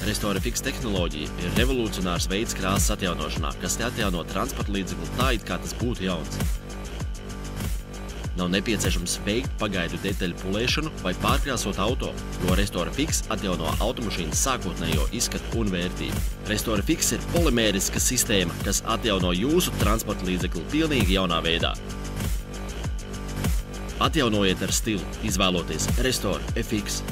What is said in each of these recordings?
Restore Fix tehnoloģija ir revolucionārs veids krāsas atjaunošanā, kas atjauno transporta līdzekli tā, it kā tas būtu jauns. Nav nepieciešams veikt pagaidu detaļu pulēšanu vai pārkrāsot auto, jo Restore Fix atjauno automašīnas sākotnējo izskatu un vērtību. Restore Fix ir polimēriska sistēma, kas atjauno jūsu transporta līdzekli pilnīgi jaunā veidā. Atjaunojiet ar stilu, izvēloties Restore FX.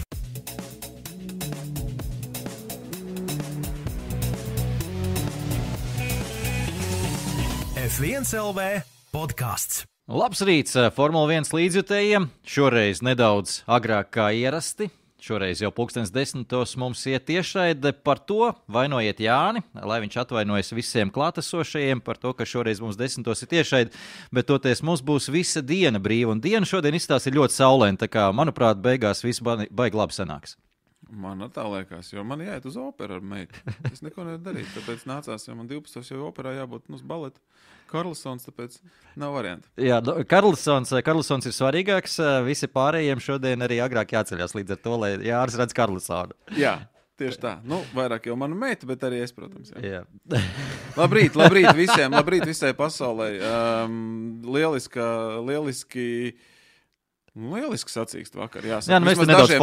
F1 LV podcasts. Labs rīts Formula 1 līdzjutējiem. Šoreiz nedaudz agrāk kā ierasti. Šoreiz jau 10:00 mums iet tiešraide. Par to vainojiet Jāni, lai viņš atvainojas visiem klātesošajiem par to, ka šoreiz mums 10:00 ir tiešraide. Bet toties mums būs visa diena brīva. Un diena šodien izstās ir ļoti saulaina. Tā kā, manuprāt, beigās viss baigi labi sanāks. Man tā liekas, jo man jāiet uz operu ar meitu. Es neko nevaru darīt, tāpēc nācās, jo man 12 jau operā jābūt uz baleta. Karlsons, tāpēc nav variantu. Jā, Karlsons ir svarīgāks. Visi pārējiem šodien arī agrāk jāceļās līdz ar to, lai Jāris redz Karlsonu. Jā, tieši tā. Nu, vairāk jau mana meita, bet arī es, protams. Jā. Jā. Labrīt visiem, labrīt visai pasaulē. Lieliski sacīkst vakar, jāsaka. Jā, mēs te nedaudz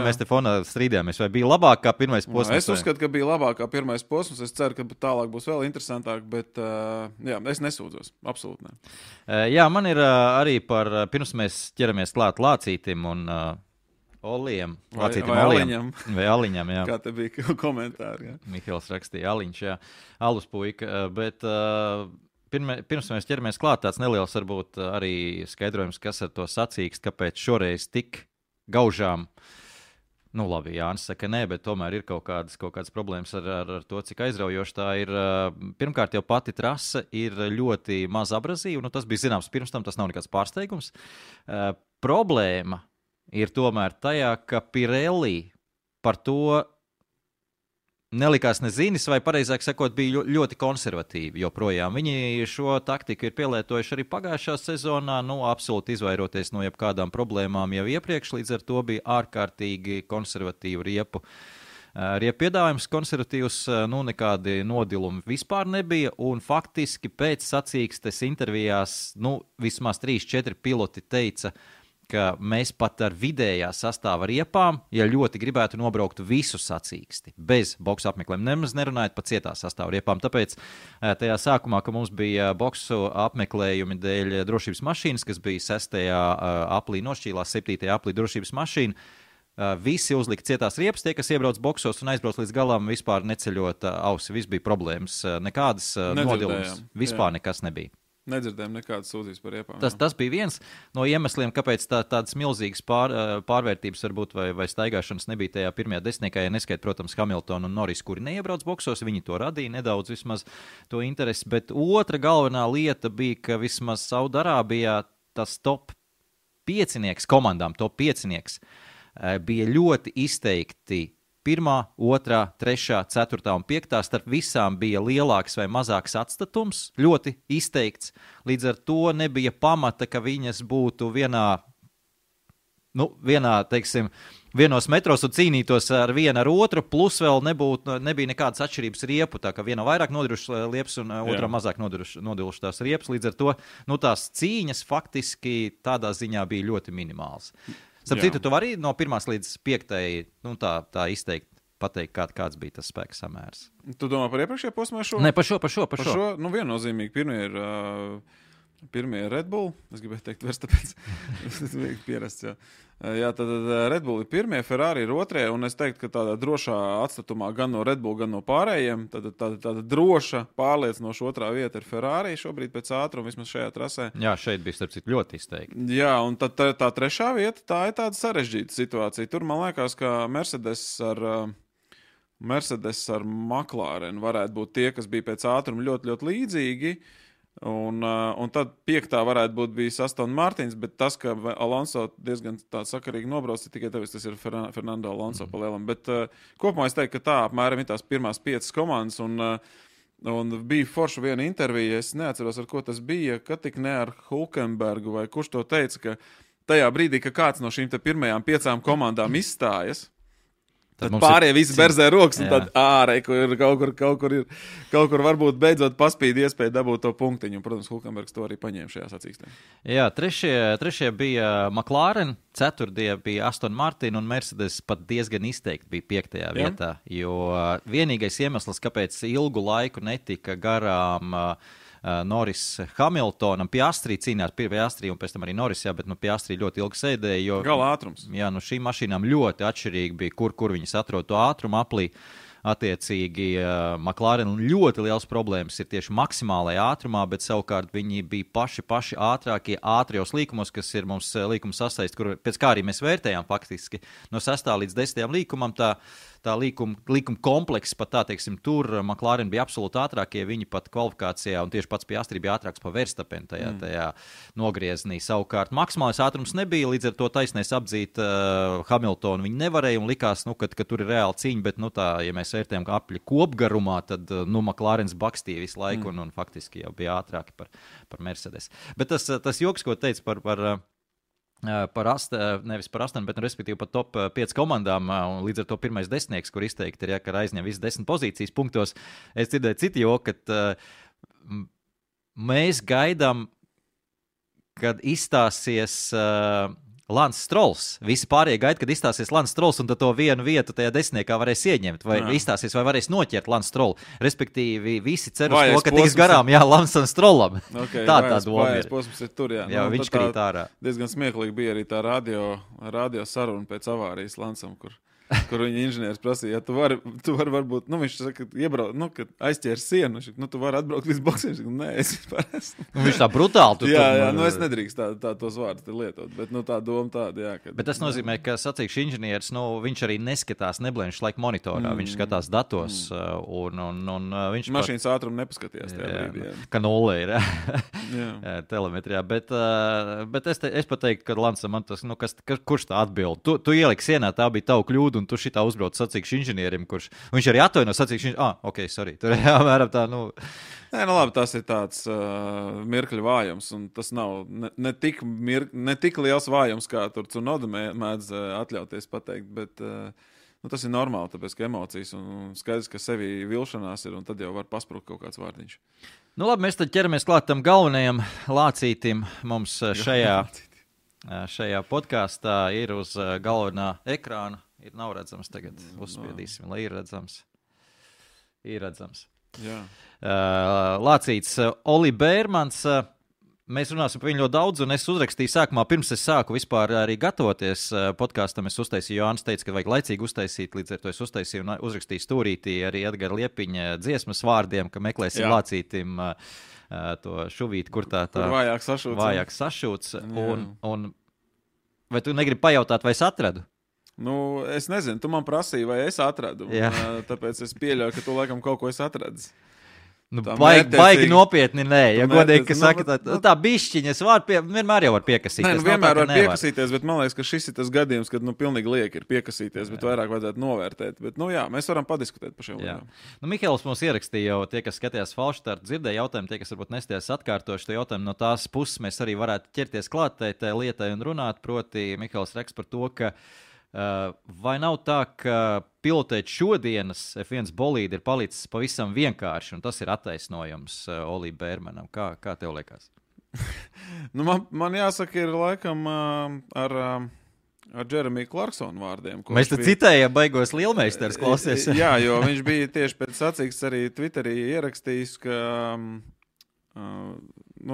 mēs te fonā strīdījāmies, vai bija labāk kā pirmais posms? Es uzskatu, ka bija labāk kā pirmais posms, es ceru, ka tālāk būs vēl interesantāk, bet jā, es nesūdzos, absolūti ne. Jā, man ir arī pirms mēs ķeramies klāt Lācītim un Oliem. Vai Aliņam, jā. Kā te bija komentāri, jā. Mihēls rakstīja Aliņš, jā. Alus puika, bet... Pirms mēs ķeramies klāt, tāds neliels varbūt arī skaidrojums, kas ar to sacīkst, kāpēc šoreiz tik gaužām. Nu labi, Jānis saka nē, bet tomēr ir kaut kādas problēmas ar to, cik aizraujoši tā ir. Pirmkārt, jau pati trase ir ļoti maz abrazīva, nu tas bija zināms pirms tam, tas nav nekāds pārsteigums. Problēma ir tomēr tajā, ka Pirelli par to nelikās nezinis, vai pareizāk sakot, bija ļoti konservatīvi joprojām. Viņi šo taktiku ir pielietojuši arī pagājušā sezonā, absolūti izvairoties no jebkādām problēmām jau iepriekš, līdz ar to bija ārkārtīgi konservatīvu riepu piedāvājums, konservatīvs, nekādi nodilumi vispār nebija, un faktiski pēc sacīkstes intervijās, vismaz 3-4 piloti teica, ka mēs pat ar vidējā sastāva riepām, ja ļoti gribētu nobraukt visu sacīksti, bez boksu apmeklējuma, nemaz nerunājot par cietā sastāva riepām. Tāpēc tajā sākumā, ka mums bija boksu apmeklējumi dēļ drošības mašīnas, kas bija 6. aplī nošķīlās, 7. aplī drošības mašīna, visi uzlika cietās riepas, tie, kas iebrauc boksos un aizbrauc līdz galam, vispār neceļot ausi, viss bija problēmas, nekādas nodilums, vispār nekas nebija. Nedzirdējām nekādas sūdzības par riepām. Tas bija viens no iemesliem, kāpēc tādas milzīgas pārvērtības varbūt vai staigāšanas nebija tajā pirmajā desmitniekā, ja neskait, protams, Hamilton un Norris, kuri neiebrauc boksos, viņi to radīja nedaudz vismaz to interesi, bet otra galvenā lieta bija, ka vismaz Saudarābijā tas top 5 komandām, top 5 bija ļoti izteikti 1., 2., 3., 4. un 5. starp visām bija lielāks vai mazāks atstatums, ļoti izteikts. Līdz ar to nebija pamata, ka viņas būtu vienos metros un cīnītos ar vienu ar otru, plus vēl nebija nekādas atšķirības riepu, tā ka viena vairāk nodirušas liepas un otrā mazāk nodilušas tās riepas. Līdz ar to tās cīņas faktiski tādā ziņā bija ļoti minimāls. Starp citu, tu vari no 1. līdz 5. tā izteikt, pateikt, kāds bija tas spēka samērs. Tu domā par iepriekšējo posmu vai šo? Nē, par šo. Viennozīmīgi, pirmie ir Red Bull, es gribēju teikt vairs tāpēc, pierasts, jā. Jā, tad Red Bull ir pirmie, Ferrari ir otrie, un es teiktu, ka tādā drošā atstatumā gan no Red Bull, gan no pārējiem, tāda droša pārliecinoša otrā vieta ir Ferrari šobrīd pēc ātruma, vismaz šajā trasē. Jā, šeit bija starp citu ļoti izteikti. Jā, un tad tā trešā vieta, tā ir tāda sarežģīta situācija. Tur man liekas, ka Mercedes ar McLaren varētu būt tie, kas bija pēc ātruma ļoti, ļoti līdzīgi. Un tad 5. varētu būt bijis Aston Martins, bet tas, ka Alonso diezgan tā sakarīgi nobrauc, tikai tāpēc tas ir Fernando Alonso pa lielam. Bet kopumā es teiktu, ka tā apmēram ir tās pirmās 5 komandas, un bija forša viena intervija, es neatceros, ar ko tas bija, ka tik ne ar Hulkenbergu, vai kurš to teica, ka tajā brīdī, ka kāds no šīm te pirmajām 5 komandām izstājas, Tad pārējie visi berzē rokas, un tad ārē, kaut kur varbūt beidzot paspīd iespēju dabūt to punktiņu. Un, protams, Hulkenbergs to arī paņēma šajā sacīkstē. Jā, trešie bija McLaren, ceturtie bija Aston Martin, un Mercedes pat diezgan izteikti bija 5. vietā. Jo vienīgais iemesls, kāpēc ilgu laiku netika garām Norris Hamiltonam, Piastri cīnās, Piastri un pēc tam arī Norris, bet Piastri ļoti ilgi sēdēja, jo gala ātrums. Jā, šīm mašīnām ļoti atšķirīgi bija, kur viņas atrod to ātrumu aplī. Attiecīgi, McLaren ļoti liels problēmas ir tieši maksimālajā ātrumā, bet savukārt viņi bija paši ātrākie ātrijos līkumos, kas ir mums līkuma sasaist, kur pēc kā arī mēs vērtējām faktiski no 6. līdz 10. līkumam, tā līkuma komplekss pat tā, teiksim, tur McLaren bija absolūti ātrākie, viņi pat kvalifikācijā, un tieši pats Piastri bija ātrāks pa Verstappen tajā nogrieznī. Savukārt maksimālais ātrums nebija, līdz ar to taisnēs apdzīt Hamiltonu viņi nevarēja, un likās, ka tur ir reāli cīņa, bet, ja mēs vērtējam apļi kopgarumā, tad, Maklarens bakstīja visu laiku, un faktiski jau bija ātrāki par Mercedes. Bet tas joks, ko teica nevis par 8, bet respektīvi par top 5 komandām, un līdz ar to pirmais desmitnieks, kur izteikti ir, ka aizņem visas 10 pozīcijas punktos. Es dzirdēju citu joku, ka mēs gaidām, kad izstāsies Lance Strolls. Visi pārējie gaida, kad izstāsies Lance Strolls, un tad to vienu vietu tajā desmitniekā varēs ieņemt, vai izstāsies, vai varēs noķert Lance Strollu. Respektīvi, visi cer uz to, ka tiks garām, Lance Strollam. Okay, tā doma ir. Posms ir tur, jā. Viņš krīt ārā. Diezgan smieklīgi bija arī tā radio saruna pēc avārijas Lancam, kur viņa inženieris prasīja, tu vari varbūt, viņš saka, iebrauc, kad aizķēri sienu, tu vari atbraukt līdz boksiem, nē, es vispār esmu. Viņš tā brutāli. Jā, es nedrīkst tā tos vārdus lietot, bet tā doma tāda, jā. Bet tas nozīmē, ka sacīkšu inženieris, viņš arī neskatās, neblēņš laik monitorā, viņš skatās datos, un viņš mašīnas ātrumu nepaskatījās tajā brīdī. Ka nulle ir, telemetrijā, bet es pateiktu, ka Lancam man tas, kurš tā atbild? Tu ieliki sienā, tā bija tavu kļūdu, un tu šitā uzbrauc sacīkšu inženierim, kurš viņš arī atvaino sacīkšu inženierim. Ok, sorry. Tur jāmēram tā, Nē, labi, tas ir tāds mirkļu vājums, un tas nav ne tik liels vājums, kā tur Tsunoda mēdz atļauties pateikt, bet tas ir normāli, tāpēc, ka emocijas un skaidrs, ka sevi vilšanās ir, un tad jau var pasprukt kaut kāds vārdiņš. Labi, mēs tad ķeramies klāt tam galvenajam lācītim mums šajā podkāstā ir uz galvenā ekrāna. Nav redzams tagad, uzspiedīsim, lai ir redzams. Ir redzams. Jā. Lācīts Oli Bērmans. Mēs runāsim par viņu ļoti daudz, un es uzrakstīju sākumā, pirms es sāku vispār arī gatavoties podkāstam, es uztaisīju, Jānis teica, ka vajag laicīgi uztaisīt, līdz ar to es uztaisīju un uzrakstīju stūrītī arī Edgara Liepiņa dziesmas vārdiem, ka meklēsim Lācītim to šuvīti, kur tā vājāk sašūts. Un vai tu negribi pajautāt, vai es atradu? Es nezinu, tu man prasīji, vai es atradu. Tāpēc es pieļauju, ka tu laikam kaut ko esi atradis. Baigi nopietni, nē. Ja godīgi, ka saka, tā bišķiņas vienmēr jau var piekasīties. Vienmēr var piekasīties, bet man liekas, ka šis ir tas gadījums, kad pilnīgi lieki ir piekasīties, bet vairāk vajadzētu novērtēt. Bet, mēs varam padiskutēt par šiem lietām. Mihēls mums ierakstīja jau tie, kas skatījās Falšstartu, dzirdēja jautājumu, tie, kas varbūt nestījās atkārtoši to jautājumu, no tās puses mēs arī varētu ķerties klāt tai lietai un runāt, proti Mihēls raksta par to, ka vai nav tā, ka pilotēt šodienas F1 bolīdi ir palicis pavisam vienkārši, un tas ir attaisnojums Olī Bērmanam? Kā tev liekas? Man jāsaka, ir laikam ar Jeremiju Clarksonu vārdiem. Mēs te citējam baigos lielmeistars, klausies. Jā, jo viņš bija tieši pēc sacīkstes arī Twitterī ierakstījis, ka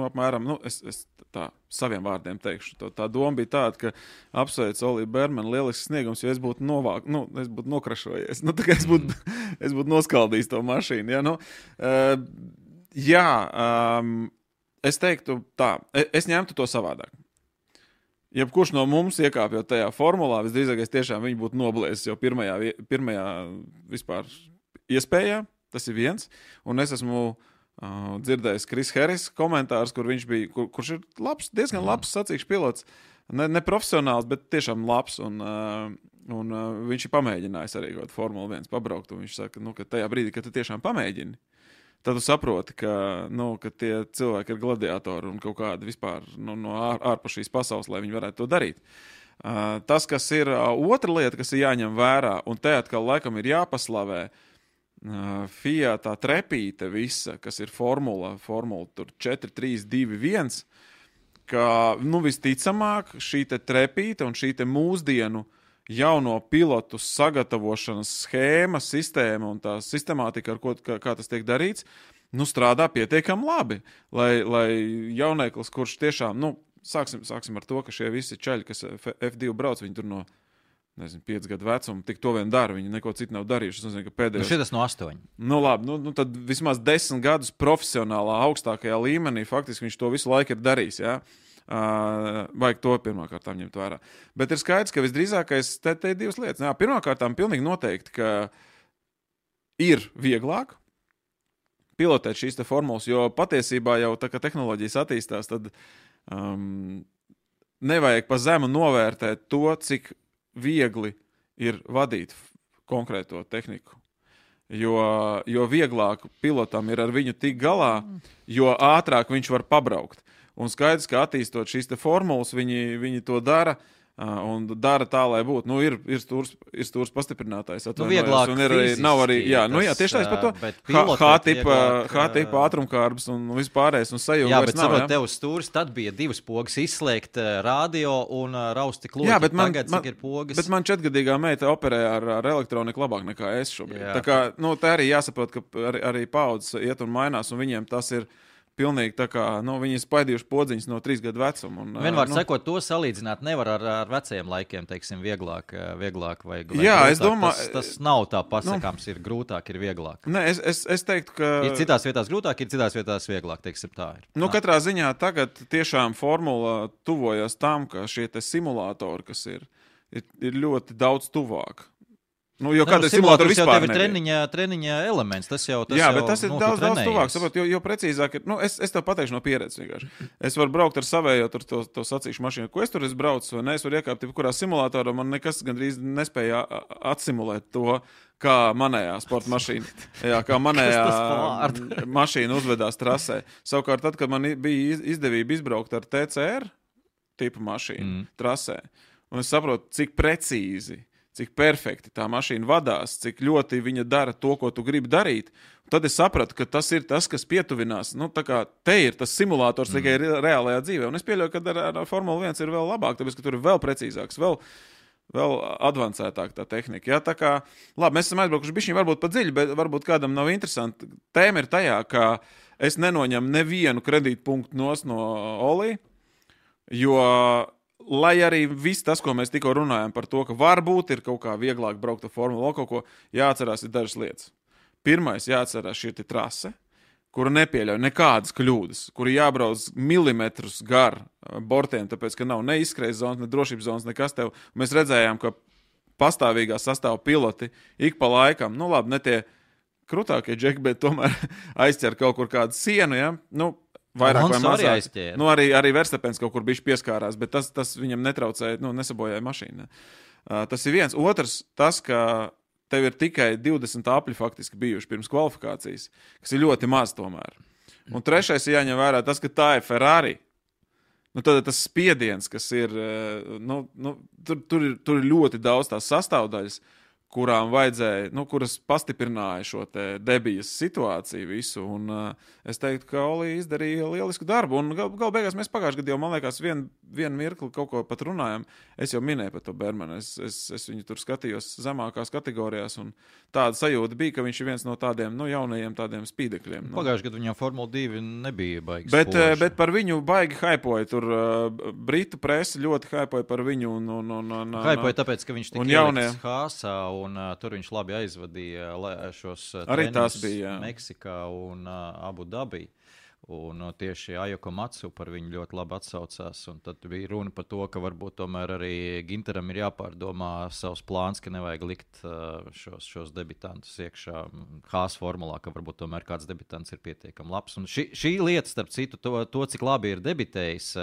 apmēram, es tā saviem vārdiem teikšu, tā doma bija tāda, ka apsveic Olī Bērmanu lielisks sniegums, jo es būtu es būtu nokrašojies. Tā kā es būtu noskaldījis to mašīnu. Es teiktu tā, es ņemtu to savādāk. Jebkurš no mums iekāpjot tajā formulā, visdrīzākais tiešām viņi būtu noblēsis jau pirmajā vispār iespējā, tas ir viens, un es esmu dzirdējis Kris Harris komentārus, kur viņš bija, kurš ir diezgan labs sacīkšu pilots, ne profesionāls, bet tiešām labs, un viņš ir pamēģinājis arī kaut Formula 1 pabraukt, un viņš saka, ka tajā brīdī, kad tu tiešām pamēģini, tad tu saproti, ka tie cilvēki ir gladiatori un kaut kādi vispār no ārpus šīs pasaules, lai viņi varētu to darīt. Tas, kas ir otra lieta, kas ir jāņem vērā, un te atkal laikam ir jāpaslavē, FIA tā trepīte visa, kas ir formula tur 4, 3, 2, 1, ka, visticamāk, šī te trepīte un šī te mūsdienu jauno pilotu sagatavošanas schēma, sistēma un tā sistemātika, kā tas tiek darīts, strādā pietiekami labi, lai jaunieklis, kurš tiešām, sāksim ar to, ka šie visi čaļi, kas F2 brauc, viņi tur no 5 gadu vecuma, tik to vien dara, viņi neko citu nav darījuši. Es nezinu, ka pēdējos... šitas no 8. Labi, tad vismaz 10 gadus profesionālā augstākajā līmenī, faktiski viņš to visu laiku ir darījis, jā. Vajag to pirmkārtām ņemt vērā. Bet ir skaidrs, ka visdrīzākais te ir divas lietas. Jā, pirmkārtām pilnīgi noteikti, ka ir vieglāk pilotēt šīs te formulas, jo patiesībā jau tā, ka tehnoloģijas attīstās, tad nevajag pa zemu novērtēt to, cik viegli ir vadīt konkrēto tehniku. Jo vieglāk pilotam ir ar viņu tik galā, jo ātrāk viņš var pabraukt. Un skaidrs, ka attīstot šīs te formulas, viņi to dara un dara tā, lai būtu. Ir stūrs pastiprinātājs. Vieglāk un ir fiziski. Nav arī, tieši tāds par to. H-tipa ātrumkārbs un vispārējais un sajūga vairs nav. Jā, bet tev stūrs, tad bija 2 pogas izslēgt radio un rausti kloķi. Jā, bet cik ir pogas? Bet man 4-gadīgā meita operē ar elektroniku labāk nekā es šobrīd. Jā. Tā kā, tā arī jāsaprot, ka arī paudzes iet un mainās, un viņiem tas ir pilnīgi tā kā, viņi ir spaidījuši podziņas no 3 gadu vecuma. Vienmēr sakot, to salīdzināt nevar ar vecajiem laikiem, teiksim, vieglāk vai jā, grūtāk. Es domāju... Tas nav tā pasakāms, ir grūtāk, ir vieglāk. Nē, es teiktu, ka... Ir citās vietās grūtāk, ir citās vietās vieglāk, teiksim, tā ir. Katrā ziņā tagad tiešām formula tuvojas tam, ka šie te simulātori, kas ir ļoti daudz tuvāk. Jo kāda simulātora vispār nebija. Treniņa elements, tas jau bet tas ir daudz tuvāk, saprot, jo precīzāk ir, es tev pateikšu no pieredzes vienkārši. Es varu braukt ar savējo to sacīkšu mašīnu, ko es tur braucu, vai ne, es varu iekāpt, kurā simulātorā man nekas gandrīz nespēja atsimulēt to, kā manējā sporta mašīna, kā manējā mašīna uzvedās trasē. Savukārt tad, kad man bija izdevība izbraukt ar TCR tipu mašīnu trasē, un es saprotu, cik precīzi, cik perfekti tā mašīna vadās, cik ļoti viņa dara to, ko tu gribi darīt. Tad es sapratu, ka tas ir tas, kas pietuvinās. Tā kā te ir tas simulātors tikai reālajā dzīvē. Un es pieļauju, ka ar Formula 1 ir vēl labāk, tāpēc, ka tur ir vēl precīzāks, vēl advancētāk tā tehnika. Jā, tā kā, labi, mēs esam aizbraukuši bišķiņ varbūt pa dziļi, bet varbūt kādam nav interesanti. Tēma ir tajā, ka es nenoņemu nevienu kredītpunktu no Olī, jo... Lai arī viss tas, ko mēs tikko runājam par to, ka varbūt ir kaut kā vieglāk braukt ar formulu, kaut ko jāatcerās ir dažas lietas. Pirmais jāatcerās šī trase, kura nepieļauj nekādas kļūdas, kura jābrauc milimetrus gar bortiem, tāpēc, ka nav ne izskrejas zonas, ne drošības zonas, nekas tev. Mēs redzējām, ka pastāvīgā sastāva piloti ik pa laikam, labi, ne tie krutākie džeki, bet tomēr aizķer kaut kur kādu sienu, ja? Vairāk vai mazāk. Arī Verstapens kaut kur bišķi pieskārās, bet tas viņam netraucēja, nesabojāja mašīnu. Tas ir viens. Otrs, tas, ka tev ir tikai 20 apļi faktiski bijuši pirms kvalifikācijas, kas ir ļoti maz tomēr. Un trešais ir jāņem vērā tas, ka tā ir Ferrari. Tad tas spiediens, kas ir, tur ir ļoti daudz tās sastāvdaļas, kurām vajadzēja, kuras pastiprināja šo te debijas situāciju visu, un es teiktu, ka Oli izdarīja lielisku darbu, un gal beigās mēs pagājušajā gadā jau, man liekas, vienu mirkli kaut ko pat runājam, es jau minēju par to Bermanu, es viņu tur skatījos zemākās kategorijās, un tāda sajūta bija, ka viņš ir viens no tādiem, jaunajiem tādiem spīdekļiem. Pagājušajā gadā viņam Formula 2 nebija baigi spoži. Bet par viņu baigi haipoja, tur Britu presi ļoti haipoja par viņu, haipoja tāpēc, ka viņš tika ielikts Haasā, un tur viņš labi aizvadīja šos treniņus Meksikā un Abu Dabī. Un tieši Ajoko Matsu par viņu ļoti labi atsaucās. Un tad bija runa par to, ka varbūt tomēr arī Ginteram ir jāpārdomā savs plāns, ka nevajag likt šos debitantus iekšā Haas formulā, ka varbūt tomēr kāds debitants ir pietiekami labs. Un šī lieta, starp citu, to cik labi ir debitējis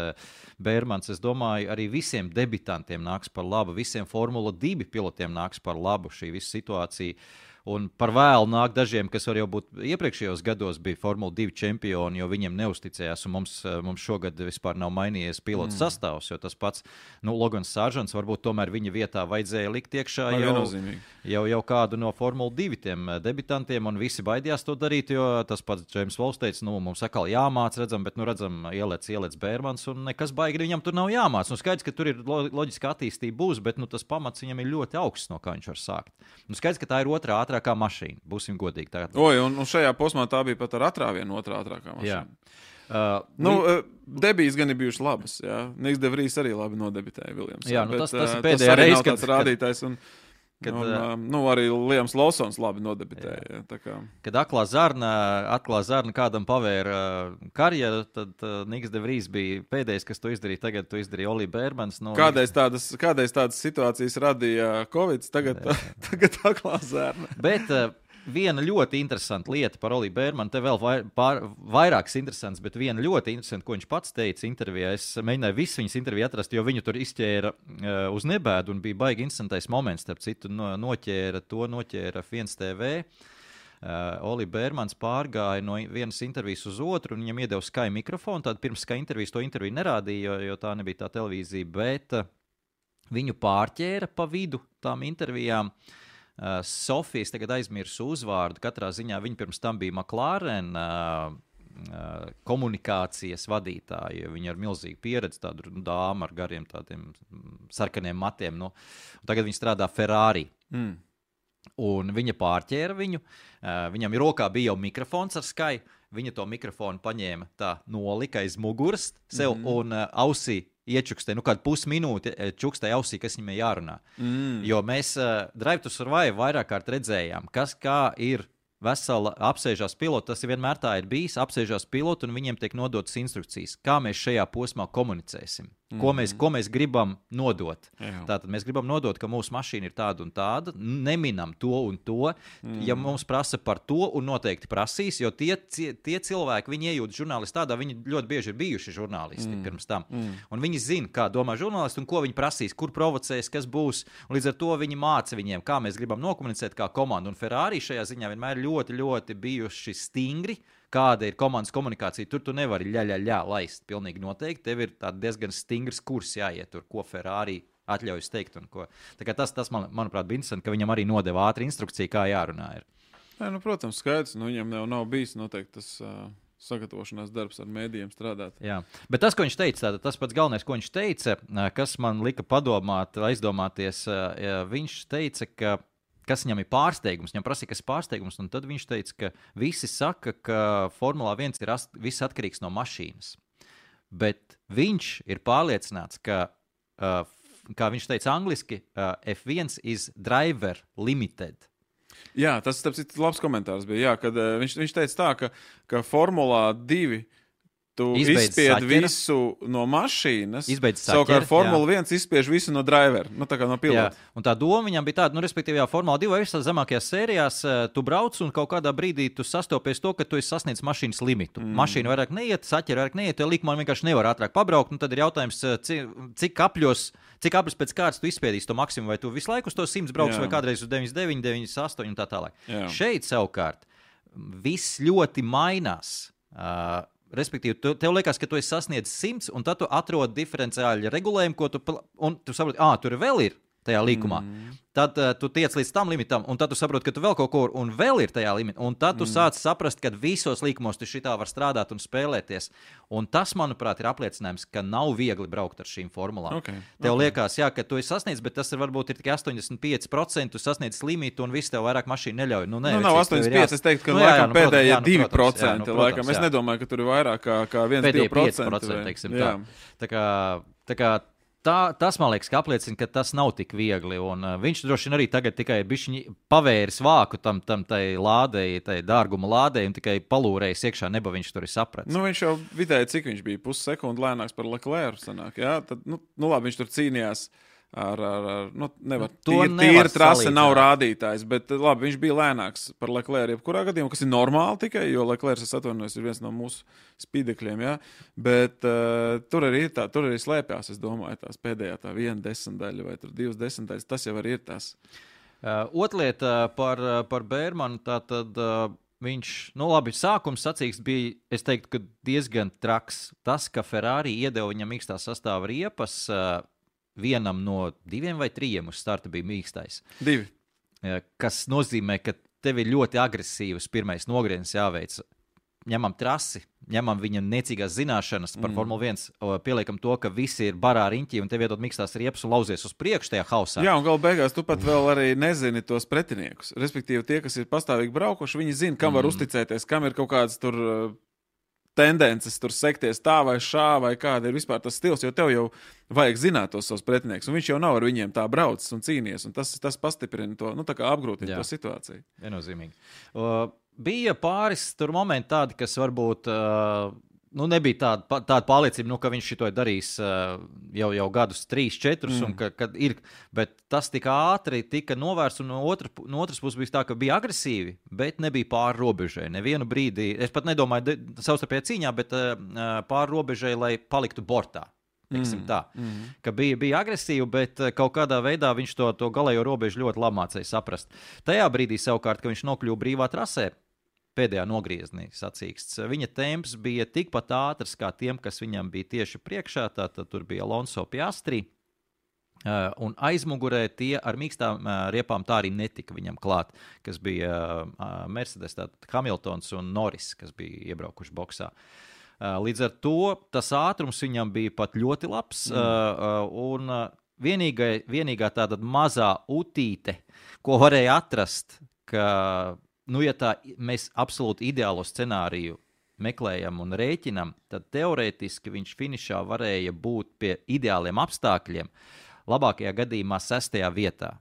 Bērmans, es domāju, arī visiem debitantiem nāks par labu, visiem Formula 2 pilotiem nāks par labu šī visa situācija. Un par vēlu nāk dažiem, kas var jau būt iepriekšējos gados bija Formula 2 čempioni, jo viņiem neusticējās, un mums šogad vispār nav mainījies pilotu sastāvs, jo tas pats, Logans Sāržants, varbūt tomēr viņa vietā vajadzēja likt iekšā jau kādu no Formula 2 tiem debitantiem, un visi baidījās to darīt, jo tas pats Džeims Vols teica, mums atkal jāmāc, redzam, bet, ielēc Bērmans, un nekas baigi viņam tur nav jāmāc. Skaidrs, ka tur ir loģiska attīstība būs, bet, tas pamats viņam ir ļoti augsts, no kā viņš var sākt. Skaidrs, ka tā ir otrā ātrākā mašīna. Būsim godīgi. Un šajā posmā tā bija pat ar atrāvienu otrā ātrākā mašīna. Debijas gan ir bijušas labas. Niks de Vries arī labi nodebitēja Viljams. Jā, tas ir pēdējā reize, kad rādītājs. Arī Liams Lawsons labi nodebitēja. Kad aklā zarna kādam pavēra karjeru, tad Niks de Vries bija pēdējais, kas to izdarīja. Tagad to izdarīja Oli Bērmans. Kādreiz tādas situācijas radīja Covid, tagad aklā zarna. Bet viena ļoti interesanta lieta par Oli Bērmanu, te vēl vairākas interesantas, bet viena ļoti interesanta, ko viņš pats teica intervijā. Es mēģināju visu viņas interviju atrast, jo viņu tur izķēra uz nebēdu un bija baigi interesantais moments, starp citu noķēra F1 TV. Oli Bērmans pārgāja no vienas intervijas uz otru, un viņam iedeva Sky mikrofonu, tad pirms Sky intervijas to interviju nerādīja, jo tā nebija tā televīzija, bet viņu pārķēra pa vidu tām intervijām. Sofijas tagad aizmirsu uzvārdu, katrā ziņā viņa pirms tam bija McLaren komunikācijas vadītāja, viņa ar milzīgu pieredzi, tādu dāmu ar gariem tādiem sarkaniem matiem, tagad viņa strādā Ferrari. Un viņa pārķēra viņu, viņam rokā bija jau mikrofons ar Sky, viņa to mikrofonu paņēma tā nolika aiz muguras sev un ausī iečukstē, kādu pusminūti čukstē ausī, kas viņam jārunā. Jo mēs Drive to Survive vairāk kārt redzējām, kā ir vesela apsēžās pilota, tas vienmēr tā ir bijis, apsēžās pilota un viņiem tiek nodotas instrukcijas, kā mēs šajā posmā komunicēsim, ko mēs gribam nodot. Tātad mēs gribam nodot, ka mūsu mašīna ir tāda un tāda, neminam to un to, ja mums prasa par to un noteikti prasīs, jo tie cilvēki, viņi iejūt žurnālisti tādā, viņi ļoti bieži ir bijuši žurnālisti pirms tam. Un viņi zina, kā domā žurnālisti un ko viņi prasīs, kur provocēs, kas būs, un līdz ar to viņi māca viņiem, kā mēs gribam nokomunicēt kā komanda. Un Ferrari šajā ziņā vienmēr ļoti, ļoti bijuši stingri, kāda ir komandas komunikācija. Tur tu nevari laist pilnīgi noteikti. Tev ir diezgan stingrs kurs jāiet tur, ko Ferrari atļaujas teikt. Un ko. Tā kā tas manuprāt, bija interesanti, ka viņam arī nodeva ātri instrukciju, kā jārunā ir. Jā, protams, skaidrs. Viņam nav bijis noteikti tas sagatavošanās darbs ar mēdījiem strādāt. Jā, bet tas, ko viņš teica, tas pats galvenais, ko viņš teica, kas man lika padomāt, aizdomāties, viņš teica, kas viņam ir pārsteigums, viņam prasīja, kas ir pārsteigums, un tad viņš teica, ka visi saka, ka Formulā 1 ir viss atkarīgs no mašīnas. Bet viņš ir pārliecināts, ka, kā viņš teica angliski, F1 is driver limited. Jā, tas labs komentārs bija, kad viņš teica tā, ka Formulā 2 tu izspied visu no mašīnas, savukārt Formula 1 izspiež visu no drivera, tā kā no pilota. Jā, un tā doma viņam bija tāda, respektīvi, Formula 2 visās zemākajās sērijās tu brauc un kaut kādā brīdī tu sastopies to, ka tu esi sasniedz mašīnas limitu. Mašīna vairāk neiet, saķeri vairāk neiet, jo likuma vienkārši nevar ātrāk pabraukt, tad ir jautājums, cik apļos pēc kārtas tu izspiedīsi to maksimumu, vai tu visu laiku uz to 100 brauks, vai kādreiz uz 99, 98 un tā tālāk. Jā. Šeit savukārt viss ļoti mainās. Respektīvi, tev liekas, ka tu esi sasniedzis 100, un tad tu atrod diferenciāļu regulējumu, un tu saproti, tur vēl ir tajā līkumā. Tad tu tiec līdz tam limitam, un tad tu saproti, ka tu vēl kaut ko un vēl ir tajā limitā. Un tad tu sāc saprast, ka visos līkumos tu šitā var strādāt un spēlēties. Un tas, manuprāt, ir apliecinājums, ka nav viegli braukt ar šīm formulām. Tev liekas, ka tu esi sasniedzis, bet tas ir varbūt ir tikai 85%, tu sasniedzis limitu un viss tev vairāk mašīna neļauj. Nav 85%, es teiktu, ka laikam pēdējie 2%. Laikam. Es nedomāju, ka tur ir vairāk kā 1-2%. Teiksim, tā kā tas, man liekas, ka apliecina, ka tas nav tik viegli, un viņš droši vien arī tagad tikai bišķiņi pavēris vāku tam tai lādei, tai dārguma lādei, un tikai palūrējis iekšā neba viņš tur ir sapratis. Viņš jau vidēji, cik viņš bija, pussekundi lēnāks par Leclerc sanāk, jā? Tad, labi, viņš tur cīnījās nevar, tīra trase nav rādītājs, bet labi, viņš bija lēnāks par Leclerc jebkurā gadījumā, kas ir normāli tikai, jo Leclerc, es atvainojos, ir viens no mūsu spīdekļiem, jā, bet tur arī slēpjās, es domāju, tās pēdējā tā 1/10 vai tur 2/10, tas jau arī ir tās. Otlieta par Bērmanu, tātad viņš, labi, sākums sacīksts bija, es teiktu, ka diezgan traks. Tas, ka Ferrari iedeva viņam mīkstā sastāva riepas, vienam no 2 vai 3 uz starta bija mīkstais. 2. Kas nozīmē, ka tev ir ļoti agresīvs pirmais nogrieziens jāveic. Ņemam trasi, ņemam viņa niecīgās zināšanas par Formula 1, pieliekam to, ka visi ir barā riņķī un tev iedod mīkstās riepas un lauzies uz priekšu tajā hausā. Jā, un galu beigās tu pat vēl arī nezini tos pretiniekus. Respektīvi, tie, kas ir pastāvīgi braukuši, viņi zina, kam var uzticēties, kam ir kaut kādas tur tendences tur sekties tā vai šā, vai kāda ir vispār tas stils, jo tev jau vajag zināt tos savus pretiniekus, un viņš jau nav ar viņiem tā braucis un cīnies, un tas pastiprina to, tā kā apgrūtina to situāciju. Viennozīmīgi. Bija pāris tur momenti tādi, kas varbūt nebija tāda pārliecība, ka viņš šito ir darījis jau gadus 3-4, un kad ir, bet tas tik ātri tika novērsts, un no otras puses bija tā, ka bija agresīvi, bet nebija pāri robežai. Nevienu brīdi, es pat nedomāju savstarpējā cīņā, bet pāri robežai, lai paliktu bortā. Ka bija agresīvi, bet kaut kādā veidā viņš to galējo robežu ļoti labi mācīja saprast. Tajā brīdī savukārt, ka viņš nokļuva brīvā trasē, pēdējā nogriezienī sacīksts, viņa temps bija tikpat ātrs kā tiem, kas viņam bija tieši priekšā, tātad tur bija Alonso Piastri, un aizmugurē tie ar mīkstām riepām tā arī netika viņam klāt, kas bija Mercedes, tātad Hamiltons un Norris, kas bija iebraukuši boksā. Līdz ar to tas ātrums viņam bija pat ļoti labs, un vienīgā tāda mazā utīte, ko varēja atrast, ka, ja tā mēs absolūti ideālo scenāriju meklējam un rēķinam, tad teorētiski viņš finišā varēja būt pie ideāliem apstākļiem, labākajā gadījumā 6. vietā.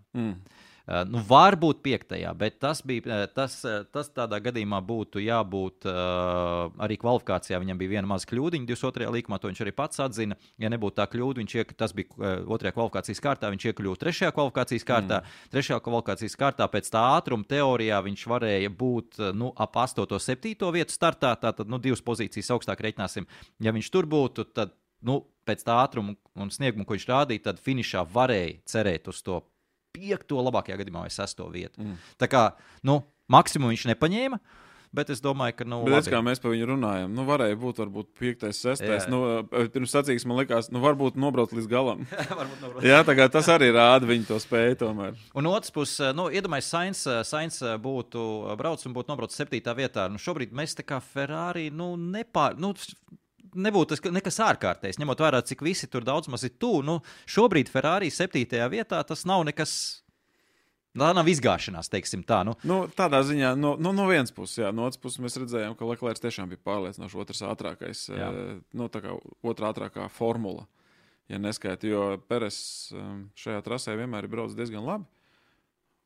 Varbūt 5. bet tas tādā gadījumā būtu jābūt arī kvalifikācijā. Viņam bija viena maza kļūdiņa 22. līkumā, to viņš arī pats atzina. Ja nebūtu tā kļūda, tas bija 2. kvalifikācijas kārtā, viņš iekļuva 3. kvalifikācijas kārtā. 3. kvalifikācijas kārtā pēc tā ātruma teorijā viņš varēja būt ap 8. 7. vietu startā, tātad 2 pozīcijas augstāk reiķināsim. Ja viņš tur būtu, tad pēc tā ātruma un snieguma, ko viņš rādīja, tad finišā varēja cerēt uz to 5. labākajā gadījumā vai 6. vietu. Tā kā, maksimumu viņš nepaņēma, bet es domāju, ka, Bet kā mēs par viņu runājam, varēja būt varbūt 5., 6. Pirms sacīks, man likās, varbūt nobraukt līdz galam. Jā, tā kā tas arī rāda viņu to spēju tomēr. Un otrs puses, iedomājies, Sainz būtu brauc un būtu nobrauc 7. vietā. Šobrīd mēs tā kā Ferrari, nebūtu nekas ārkārtējs, ņemot vērā, cik visi tur daudz maz ir tuvu. Šobrīd Ferrari 7. vietā tas nav nekas, tā nav izgāšanās, teiksim tā. Tādā ziņā, no vienas puses, jā, no otras puses mēs redzējām, ka Leclerc tiešām bija pārliecinoši otrs ātrākais, tā kā otrā ātrākā formula, ja neskaita, jo Peres šajā trasē vienmēr ir brauc diezgan labi.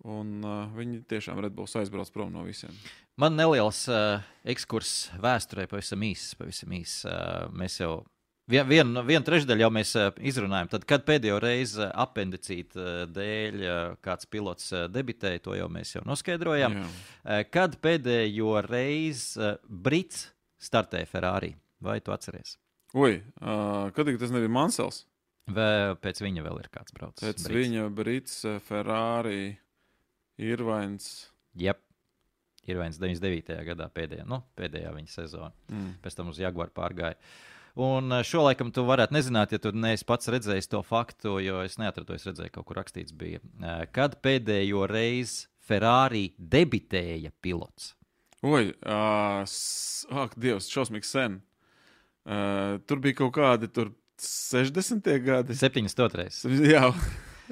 Un viņi tiešām Red Bulls aizbrauc prom no visiem. Man neliels ekskurs vēsturē pavisam īs. Mēs jau vienu trešdaļu jau mēs izrunājam. Tad, kad pēdējo reizi apendicīta dēļ kāds pilots debitēja, to jau mēs jau noskaidrojam. Kad pēdējo reizi Brits startēja Ferrari? Vai tu atceries? Kad tas nebija Mansels? Vai pēc viņa vēl ir kāds braucis? Pēc viņa Brits, Ferrari... Irvains. Irvains 99. gadā pēdējā viņa sezona. Pēc tam uz Jaguar pārgāja. Un šo laikam tu varētu nezināt, ja tu neesi pats redzējis to faktu, jo es neatradu, es redzēju, kaut kur rakstīts bija. Kad pēdējo reizi Ferrari debitēja pilots? Dievs, šausmīgi sen. Tur bija kaut kādi 60. gadi. 72. Jā.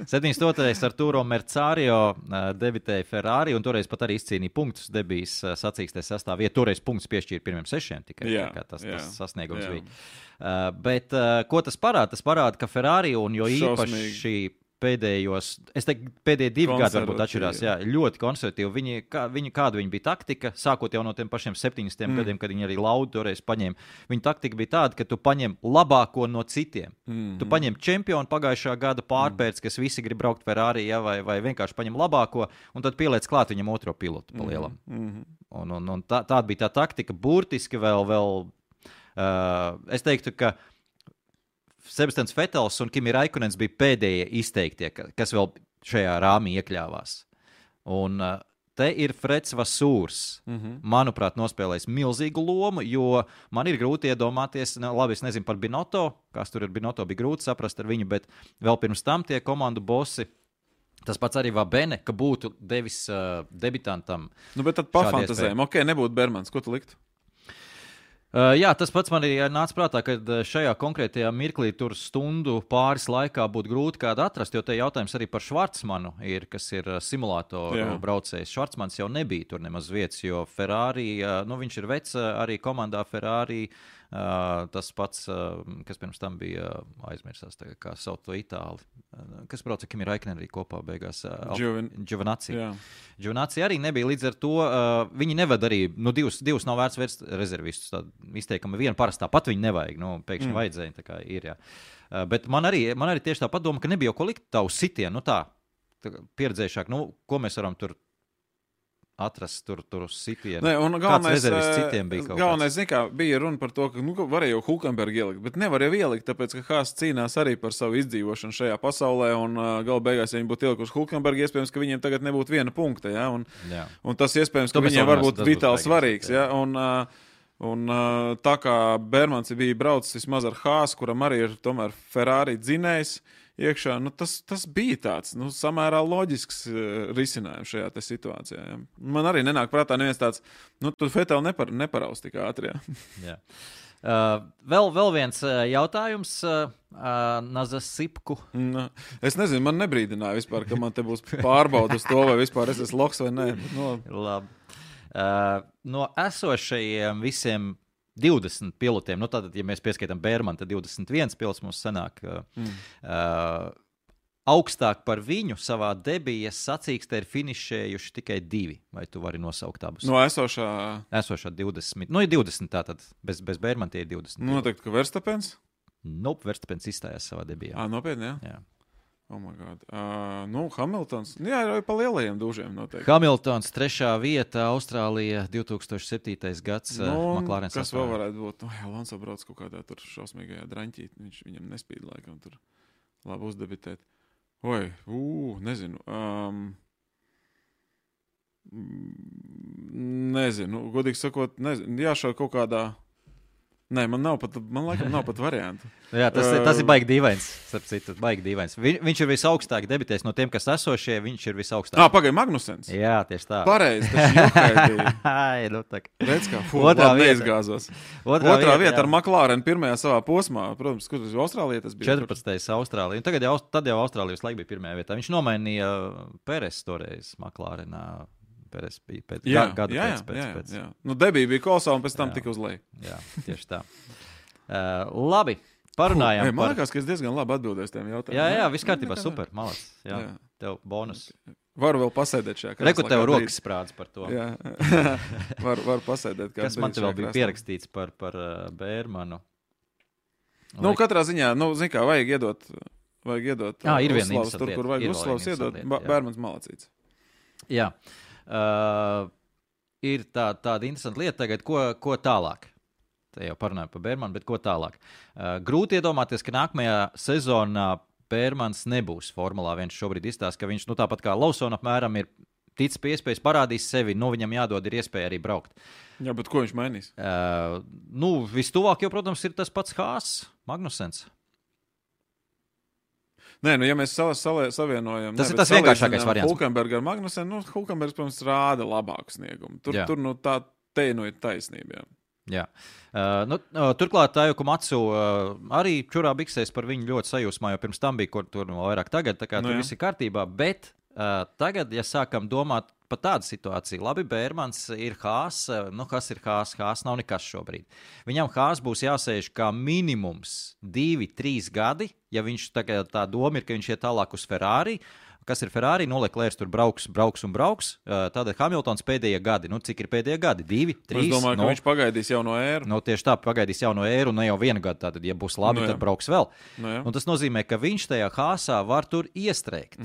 72. Arturo Mercario debitēja Ferrari, un toreiz pat arī izcīnīja punktus debijas sacīkstē sastāvā. Toreiz punktus piešķīra pirmiem 6 tikai, tas sasniegums bija. Bet ko tas parāda? Tas parāda, ka Ferrari, un jo īpaši pēdējos, es teiktu, pēdējie 2 gadi varbūt atšķirās, ļoti konservatīvi. Kāda viņa bija taktika, sākot jau no tiem pašiem 70. gadiem, kad viņi arī Laudu toreiz paņēma. Viņa taktika bija tāda, ka tu paņem labāko no citiem. Tu paņem čempionu pagājušā gada pārpērts, kas visi grib braukt Ferrari, vai vienkārši paņem labāko, un tad pieliec klāt viņam otro pilotu pa lielam. Un tāda bija tā taktika, burtiski vēl es teiktu, ka Sebastians Vettels un Kimi Raikkonens bija pēdējie izteiktie, kas vēl šajā rāmī iekļāvās. Un te ir Freds Vasūrs. Manuprāt, nospēlējis milzīgu lomu, jo man ir grūti iedomāties, labi, es nezinu par Binotto, kas tur ir Binotto, bija grūti saprast ar viņu, bet vēl pirms tam tie komandu bosi, tas pats arī Vabene, ka būtu devis debitantam. Nu, bet tad pafantazējam, nebūtu Bermans, ko tu liktu? Jā, tas pats man arī nāca prātā, ka šajā konkrētajā mirklī tur stundu pāris laikā būtu grūti kādu atrast, jo te jautājums arī par Švarcmanu ir, kas ir simulātoru braucējs. Švarcmans jau nebija tur nemaz vietas, jo Ferrari, viņš ir vecs arī komandā Ferrari, tas pats, kas pirms tam bija aizmirsās, tagad, kā sauc to Itāli, kas brauca Kimi Raikkonen arī kopā beigās. Giovinazzi. Giovinazzi arī nebija, līdz ar to viņi neved arī, divus nav vērts vērst rezervistus, tā izteikama viena parastā pat viņi nevajag, pēkšņi vajadzēja, tā kā ir, jā. Bet man arī tieši tā padoma, ka nebija jau ko likt tavu sitienu, tā pieredzējušāk, ko mēs varam tur atrast tur sitienu. Kāds rezervists citiem bija kaut kāds? Galvenais, bija runa par to, ka varēja jau Hulkenberg ielikt, bet nevar jau ielikt, tāpēc, ka Haas cīnās arī par savu izdzīvošanu šajā pasaulē, un gala beigās, ja viņi būtu ielikuši Hulkenberg, iespējams, ka viņiem tagad nebūtu viena punkta, ja? Un tas iespējams, ka viņiem varbūt vitāli svarīgs, ja? Un tā kā Bermans bija braucis vismaz ar Haas, kuram arī ir tomēr Ferrari dzinējs iekšā, tas bija tāds, samērā loģisks risinājums šajā te situācijā. Ja. Man arī nenāk prātā neviens tāds, tur Vettel neparaus tik ātri. Ja. Vēl viens jautājums Nazas Sipku. Es nezinu, man nebrīdināja vispār, ka man te būs pārbauda uz to, vai vispār es esmu loks vai nē. Labi. No esošajiem visiem 20 pilotiem, tātad, ja mēs pieskaitam Bermanu, tad 21 pilots mums sanāk augstāk par viņu savā debijas sacīkstē ir finišējuši tikai 2. Vai tu vari nosaukt abus? No esošā 20. Ir 20 tātad, bez Bermana tie ir 20. Noteikti, ka Verstapens? Verstapens izstājās savā debijā. Nopietni, jā? Oh my God. Hamiltons. Jā, ir pa lielajiem dūžiem noteikti. Hamiltons 3. vieta, Austrālija 2007. gads. McLaren kas vēl varētu būt? Alonso brauc kaut kādā tur šausmīgajā draņķīt. Viņam nespīd laikam tur labi uzdebitēt. Nezinu. Nezinu. Godīgi sakot, nezinu. Jāšau kaut kādā... Nē, man laikam nav pat variantu. Jā, tas ir baigi dīvains, starp citu, baigi dīvains. Viņš ir visaugstāk debitējis no tiem, kas esošie, viņš ir visaugstāk. Pagaid, Magnusens. Jā, tieši tā. Pareizi, tas jokaidīja. Redz kā, neizgāzos. Otrā vieta ar McLaren pirmajā savā posmā. Protams, kur Austrālija tas bija? 14. Austrālija. Un tad jau Austrālija visu laiku bija pirmajā vietā. Viņš nomainīja Peres toreiz McLarenā. Pēc gada pēc. Debija bija kolosāla un pēc tam tika uz leju. Jā, tieši tā. Labi, parunājām Man liekas, ka es diezgan labi atbildēju tiem jautājumiem. Jā, viss kārtībā, super, malac. Jā. Tev bonus. Varu vēl pasēdēt šajā krēslā. Reku tev rokas sprāds par to. Jā, varu pasēdēt. Kas man te vēl bija pierakstīts par Bermanu? Katrā ziņā, zin kā, vajag iedot ir viena uzslavas tur, kur vajag uzslavas iedot. Bermans malacīts. Jā. Ir tāda interesanta lieta tagad, ko tālāk. Te jau parunājam par Bermanu, bet ko tālāk. Grūti iedomāties, ka nākamajā sezonā Bermans nebūs Formulā 1 šobrīd izstāst, ka viņš tāpat kā Lawson apmēram ir ticis pie iespējas, parādīs sevi, viņam jādod ir iespēja arī braukt. Jā, bet ko viņš mainīs? Vistuvāk jau, protams, ir tas pats Haas, Magnusens. Nē, ja mēs savienojam... Tas ir tas vienkāršākais variants. Hulkenberg ar Magnusen, Hulkenbergs, protams, rāda labāku sniegumu. Tur ir taisnība. Jā. Turklāt Tajuku Matsu arī čurā biksēs par viņu ļoti sajūsmā, jo pirms tam bija, kur tur vairāk tagad, tā kā tur viss ir kārtībā, bet tagad, ja sākam domāt par tādu situāciju, labi, Bermans ir Haas, kas ir Haas? Haas nav nekas šobrīd. Viņam Haas būs jāsēž kā minimums 2-3 gadi, ja viņš tā doma ir, ka viņš iet tālāk uz Ferrari. Kas ir Ferrari? Leclerc tur brauks. Tātad Hamiltons pēdējie gadi. Cik ir pēdējie gadi? 2, 3? Es domāju, ka viņš pagaidīs jauno ēru. Tieši tā, pagaidīs jauno ēru, ne jau vienu gadu. Tātad, ja būs labi, tad brauks vēl. Un tas nozīmē, ka viņš tajā Haasā var tur iestrēgt.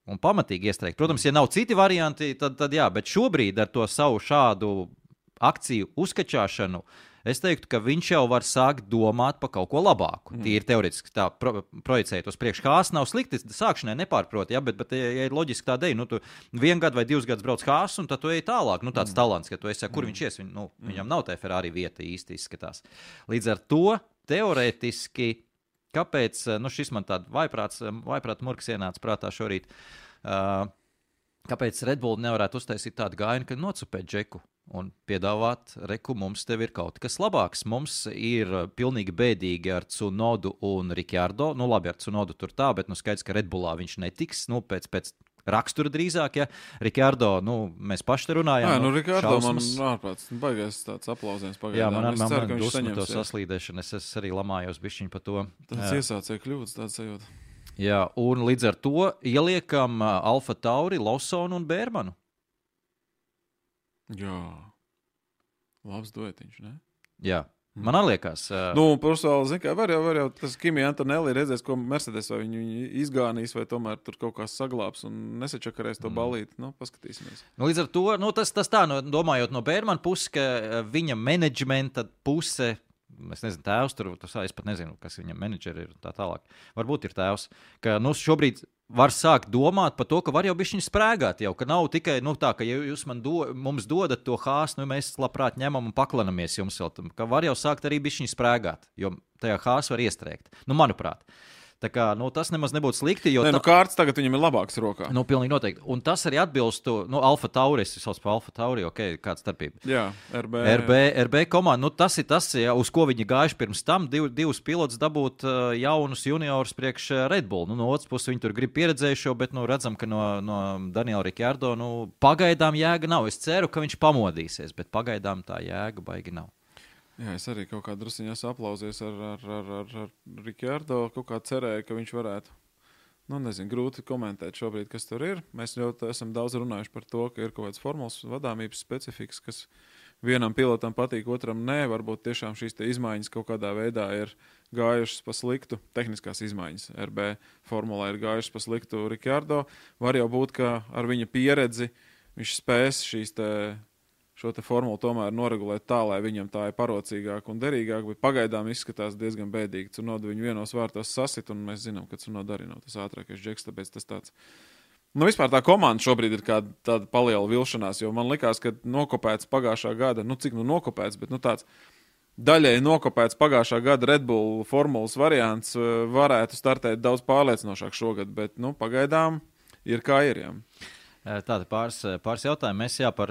Un pamatīgi iestrēgt. Protams, ja nav citi varianti, tad jā, bet šobrīd ar to savu šādu akciju uzkačāšanu, es teiktu, ka viņš jau var sākt domāt par kaut ko labāku. Tīri teoretiski tā projicēt uz priekšu. Hāss nav slikti, sākšanai nepārprot, ja, bet ja ir loģiski tā deja, tu 1 gadu vai 2 gadus brauc Hāss, un tad tu ej tālāk, tāds talants, ka tu esi, kur viņš ies, viņam nav tā Ferrari vieta īsti izskatās. Līdz ar to, teoretiski, kāpēc, šis man tāda vaiprāt murks ienāca prātā šorīt, kāpēc Red Bull nevarētu uztaisīt tādu gājienu, ka nocupēt Džeku un piedāvāt, reku, mums tev ir kaut kas labāks. Mums ir pilnīgi bēdīgi ar Tsunodu un Ricciardo. Labi, ar Tsunodu tur tā, bet skaidrs, ka Red Bullā viņš netiks, pēc rakstura drīzāk, ja. Ricciardo, mēs paši te runājām. Ricciardo man ārprāts, baigais tāds aplausiens pagaidām. Jā, man dusmu to saslīdēšanu, es arī lamājos bišķiņ par to. Tāds iesācēja kļūdas, tāds sajūta. Jā, un līdz ar to ieliekam Alfa Tauri, Lawsonu un Bērmanu. Jā, labs duetiņš, ne? Jā, man liekas. Personāli, zin kā, var jau tas Kimi Antonelli redzēs, ko Mercedes vai viņu izgānīs, vai tomēr tur kaut kā saglāps un nesačakarēs to balīti. Paskatīsimies. Līdz ar to, tas tā, domājot no Bērmana puses, ka viņa menedžmenta puse, es nezinu, tēvs tur, es pat nezinu, kas viņam menedžeri ir tā tālāk. Varbūt ir tēvs, ka šobrīd var sākt domāt par to, ka var jau bišķiņ sprēgāt jau, ka nav tikai, tā, ka ja jūs mums dodat to Hāsu, mēs labprāt ņemam un paklanamies jums vēl, ka var jau sākt arī bišķiņ sprēgāt, jo tajā Hāsu var iestrēgt. Manuprāt. Tā kā, tas nemaz nebūtu slikti, jo... Kārts tagad viņam ir labāks rokā. Pilnīgi noteikti. Un tas arī atbilstu, Alfa Tauri, es sauc par Alfa Tauri, kāda starpība. Jā, RB komanda, tas ir tas, ja, uz ko viņi gājuši pirms tam, divus pilotus dabūt jaunus juniorus priekš Red Bull. No otras puses viņi tur grib pieredzējušo, bet, redzam, ka no Daniela Ricciardo, pagaidām jēga nav. Es ceru, ka viņš pamodīsies, bet pagaidām tā jēga baigi nav. Jā, es arī kaut kā drusiņā aplausies ar Ricciardo, kaut kā cerēju, ka viņš varētu. Nezinu, grūti komentēt šobrīd, kas tur ir. Mēs ļoti esam daudz runājuši par to, ka ir kaut kāds formulas vadāmības specifiks, kas vienam pilotam patīk, otram nē. Varbūt tiešām šīs te izmaiņas kaut kādā veidā ir gājušas pa sliktu, tehniskās izmaiņas RB formulā ir gājušas pa sliktu Ricciardo. Var jau būt, ka ar viņa pieredzi viņš spēs šo te formulu tomēr noregulēt tā, lai viņam tā ir parocīgāk un derīgāk, bet pagaidām izskatās diezgan bēdīgi. Tsunoda viņu vienos vārtos sasit, un mēs zinām, ka Tsunoda arī nav tas ātrākais džeks, tāpēc tas tāds... Vispār tā komanda šobrīd ir tāda paliela vilšanās, jo man likās, ka nokopēts pagājušā gada, cik nokopēts, bet tāds daļēji nokopēts pagājušā gada Red Bull formulas variants varētu startēt daudz pārliecinošāk šogad, bet pagaidām ir kā ir, jā. Tāda pāris jautājumi. Mēs par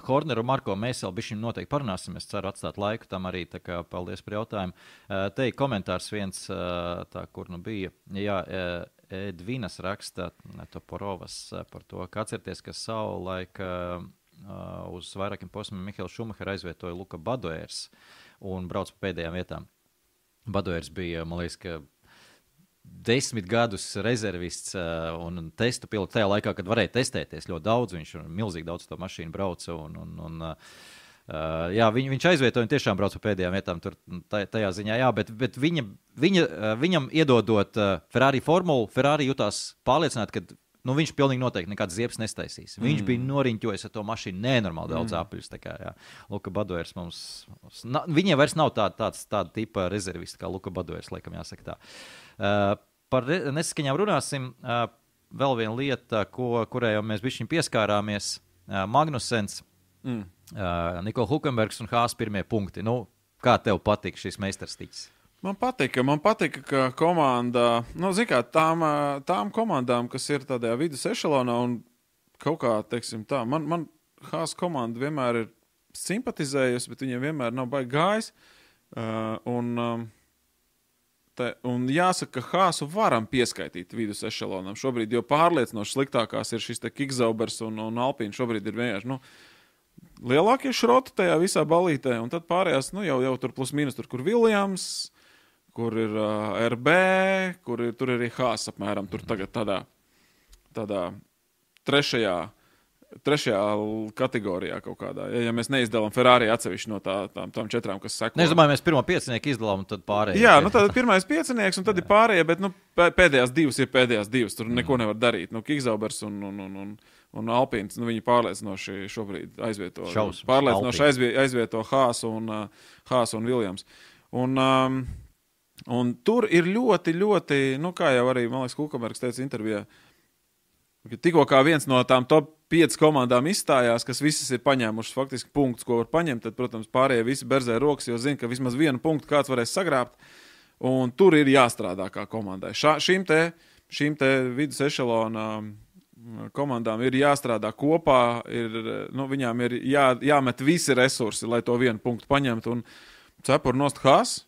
Horneru Marko mēs vēl bišķiņ noteikti parunāsim. Es ceru atstāt laiku tam arī, tā kā paldies par jautājumu. Te ir komentārs viens, kur bija. Jā, Edvinas raksta Toporovas par to, ka atcerieties, ka savulaik uz vairākiem posmiem Mihails Šumacher aizvietoja Luka Badoers un brauc pa pēdējām vietām. Badoers bija, man liekas, ka 10 gadus rezervists un testu pilots tajā laikā, kad varēja testēties ļoti daudz, viņš milzīgi daudz to mašīnu brauca jā, viņš aizvietoja un tiešām brauca pēdējām vietām tur tajā ziņā, jā, bet viņam iedodot Ferrari formulu, Ferrari jutās pārliecināt, ka viņš pilnīgi noteikti nekāds ziepes nestaisīs. Viņš bija noriņķojis ar to mašīnu nenormāli daudz apuļus. Tā kā, jā, Luka Badoers mums... Viņiem vairs nav tāda tipa rezervisti kā Luka Badoers, laikam jāsaka tā. Par nesaskaņām runāsim. Vēl viena lieta, kurai jau mēs bišķiņ pieskārāmies. Magnusens, Nikola Hulkenbergs un Hāss pirmie punkti. Kā tev patīk šis meistarstiķis? Man patika, ka komanda, zin kā, tām komandām, kas ir tādā vidus ešelonā un kaut kā, teiksim tā, man Hāss komanda vienmēr ir simpatizējusi, bet viņiem vienmēr nav baigi gājis. Un jāsaka, ka Hāsu varam pieskaitīt vidus ešelonam. Šobrīd jau pārliecinoši sliktākās ir šis te Kikzaubers un Alpīna. Šobrīd ir vienkārši, lielākie šroti tajā visā balītē, un tad pārējās, jau tur plus mīnus, tur, kur Williams, kur ir RB, tur ir arī Hāss apmēram, tur tagad tādā trešajā kategorijā kaut kādā. Ja mēs neizdalām Ferrari atsevišķi no tām 4, kas seko. Es domāju, mēs pirmo 5 izdalām un tad pārējie. Jā, tad pirmais 5 un tad ir pārējie, bet pēdējās 2 ir pēdējās 2. Tur neko nevar darīt. Kikzaubers un un Alpīns, viņi pārliecinoši šobrīd aizvieto. Šausmas. Pārliecinoši aizvieto Haasu un Viljams. Un tur ir ļoti, ļoti, kā jau arī, man liekas, Kukamerks teica intervijā, ka tikko kā viens no tām top 5 komandām izstājās, kas visas ir paņēmušas faktiski punktus, ko var paņemt, tad, protams, pārējie visi berzē rokas, jo zina, ka vismaz vienu punktu kāds varēs sagrābt, un tur ir jāstrādā kā komandai. Šīm te vidus ešelona komandām ir jāstrādā kopā, viņām ir jāmet visi resursi, lai to vienu punktu paņemtu, un cepur nost Haas.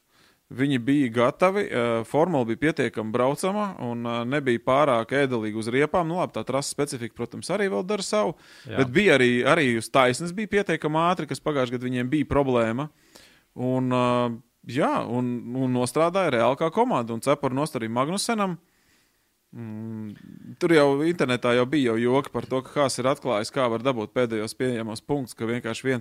Viņi bija gatavi, formula bija pietiekami braucama un nebija pārāk ēdelīgi uz riepām. Nu labi, tā trasa specifika, protams, arī vēl dara savu, bet bija arī uz taisnes bija pietiekami ātri, kas pagājušajā gadā viņiem bija problēma. Un nostrādāja reāli kā komanda un cepur nost arī Magnusenam. Tur jau internetā bija joki par to, ka Haas ir atklājis, kā var dabūt pēdējos pieejamos punktus, ka vienkārši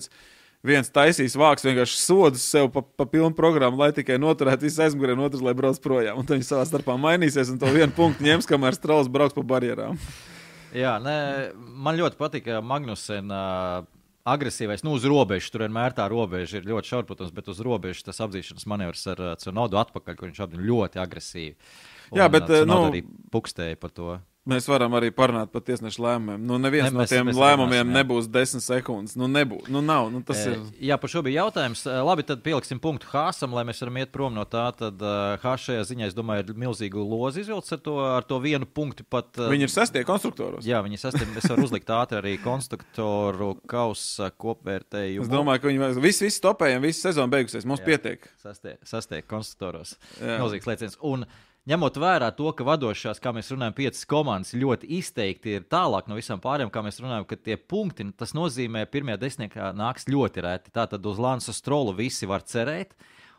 viens taisīs vāks vienkārši sodus sev pa pilnu programmu, lai tikai noturētu visu aizmugurē un otrs, lai brauc projām. Un tad viņi savā starpā mainīsies un to vienu punktu ņems, kamēr Strauss brauks pa barjerām. Jā, man ļoti patika Magnusen agresīvais, uz robežas, tur vienmēr tā robeža ir ļoti šaura, protams, bet uz robežas tas apzīšanas manevrs ar Tsunodu atpakaļ, kur viņš apzīja ļoti agresīvi. Un, jā, bet arī pukstēja par to. Mēs varam arī parunāt par tiesnešu lēmumiem. Neviens no tiem lēmumiem nebūs 10 sekundes. Nebūs. Nav. Tas ir. Jā, par šo bija jautājums. Labi, tad pieliksim punktu Haasam, lai mēs varam iet prom no tā. Tad Haas šajā ziņā, es domāju, ir milzīgu lozi izvilcis ar to vienu punktu pat. Viņi ir 6. konstruktoros. Jā, viņi ir 6. Es varu uzlikt ātri arī konstruktoru kausa kopvērtējumu. Es domāju, ka viņi visi topējiem, visi sezona beigusies. Mums pietiek. 6. konstruktoros. Milzīgs lēciens. Un ņemot vērā to, ka vadošās, kā mēs runājam, 5 komandas ļoti izteikti ir tālāk no visām pārējām, kā mēs runājam, ka tie punkti, tas nozīmē, pirmajā desmitniekā nāks ļoti reti. Tātad uz Lansu Strolu visi var cerēt,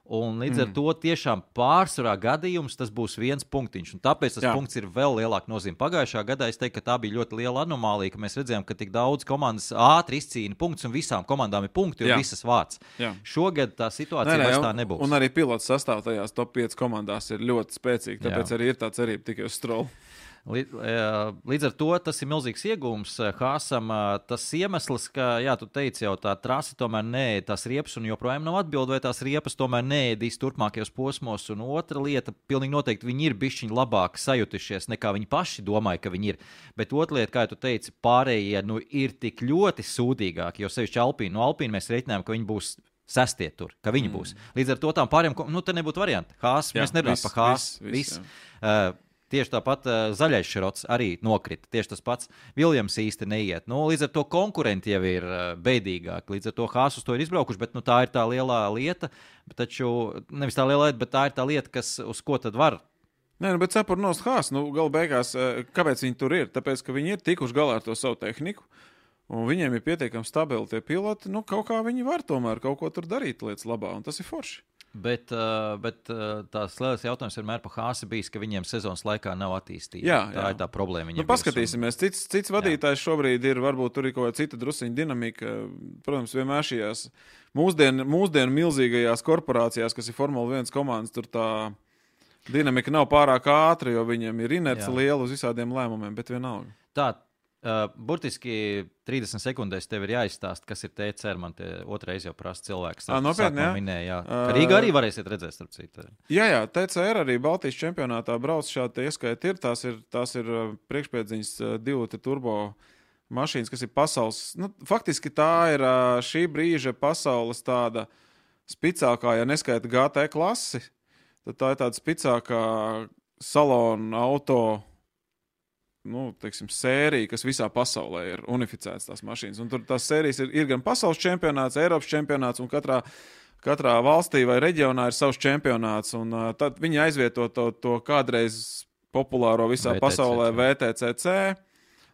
un līdz ar to tiešām pārsvarā gadījums tas būs viens punktiņš, un tāpēc tas punkts ir vēl lielāka nozīme. Pagājušā gadā es teiktu, ka tā bija ļoti liela anomālija, ka mēs redzējām, ka tik daudz komandas ātri izcīna punktus, un visām komandām ir punkti, un visas vāc. Šogad tā situācija vairs tā nebūs. Un arī pilots sastāv tajās top 5 komandās ir ļoti spēcīgi, tāpēc arī ir tā cerība tikai uz Strolu. Līdz ar to tas ir milzīgs iegūms Haasam. Tas iemesls, ka, tu teici jau, tā trasa tomēr neēd tās riepas un joprojām nav atbildi, vai tās riepas tomēr neēdīs turpmākajos posmos. Un otra lieta, pilnīgi noteikti viņi ir bišķiņi labāk sajutušies, nekā viņi paši domāja, ka viņi ir. Bet otra lieta, kā tu teici, pārējie ir tik ļoti sūdīgāki, jo sevišķi Alpīna. No Alpīna mēs reiķinājām, ka viņi būs 6. tur, ka viņi būs. Līdz ar to tām pārējām, te nebūtu varianti. Haas, mēs nerunājam par Haas. Tieši tāpat zaļais šrots arī nokrita. Tieši tas pats Viljams īsti neiet. Līdz ar to konkurenti jau ir beidīgāki. Līdz ar to Haas uz to ir izbraukuši, bet tā ir tā lielā lieta. Taču nevis tā lielā lieta, bet tā ir tā lieta, uz ko tad var. Bet cepur nost Haas, gala beigās, kāpēc viņi tur ir? Tāpēc, ka viņi ir tikuši galā ar to savu tehniku, un viņiem ir pietiekami stabili tie piloti. Kaut kā viņi var tomēr kaut ko tur darīt lietas labā, un tas ir forši. Bet tās lielais jautājums vienmēr par Haasu bijis, ka viņiem sezonas laikā nav attīstība. Tā ir tā problēma. Paskatīsimies, cits vadītājs šobrīd ir, varbūt tur ir kaut kāda cita drusiņa dinamika. Protams, vienmēr šajās mūsdienu milzīgajās korporācijās, kas ir Formula 1 komandas, tur tā dinamika nav pārāk ātra, jo viņiem ir inerce liela uz visādiem lēmumiem, bet vienalga. Burtiski 30 sekundēs tev ir jāizstāst, kas ir TCR. Man te otrais jau prasa cilvēks. Nopietni, minēja, Rīgā arī varēsiet redzēt, starp citu. Jā, TCR arī Baltijas čempionātā brauc šādi ieskaiti ir. Tās ir priekšpēdziņas 2 turbo mašīnas, kas ir pasaules. Faktiski tā ir šī brīža pasaules tāda spicākā, ja neskaita GT klasi, tad tā ir tāda spicākā salona auto sērija, kas visā pasaulē ir unificētas tās mašīnas. Un tur tās sērijas ir gan pasaules čempionāts, Eiropas čempionāts, un katrā valstī vai reģionā ir savs čempionāts. Un tad viņi aizvieto to kādreiz populāro visā pasaulē VTCC,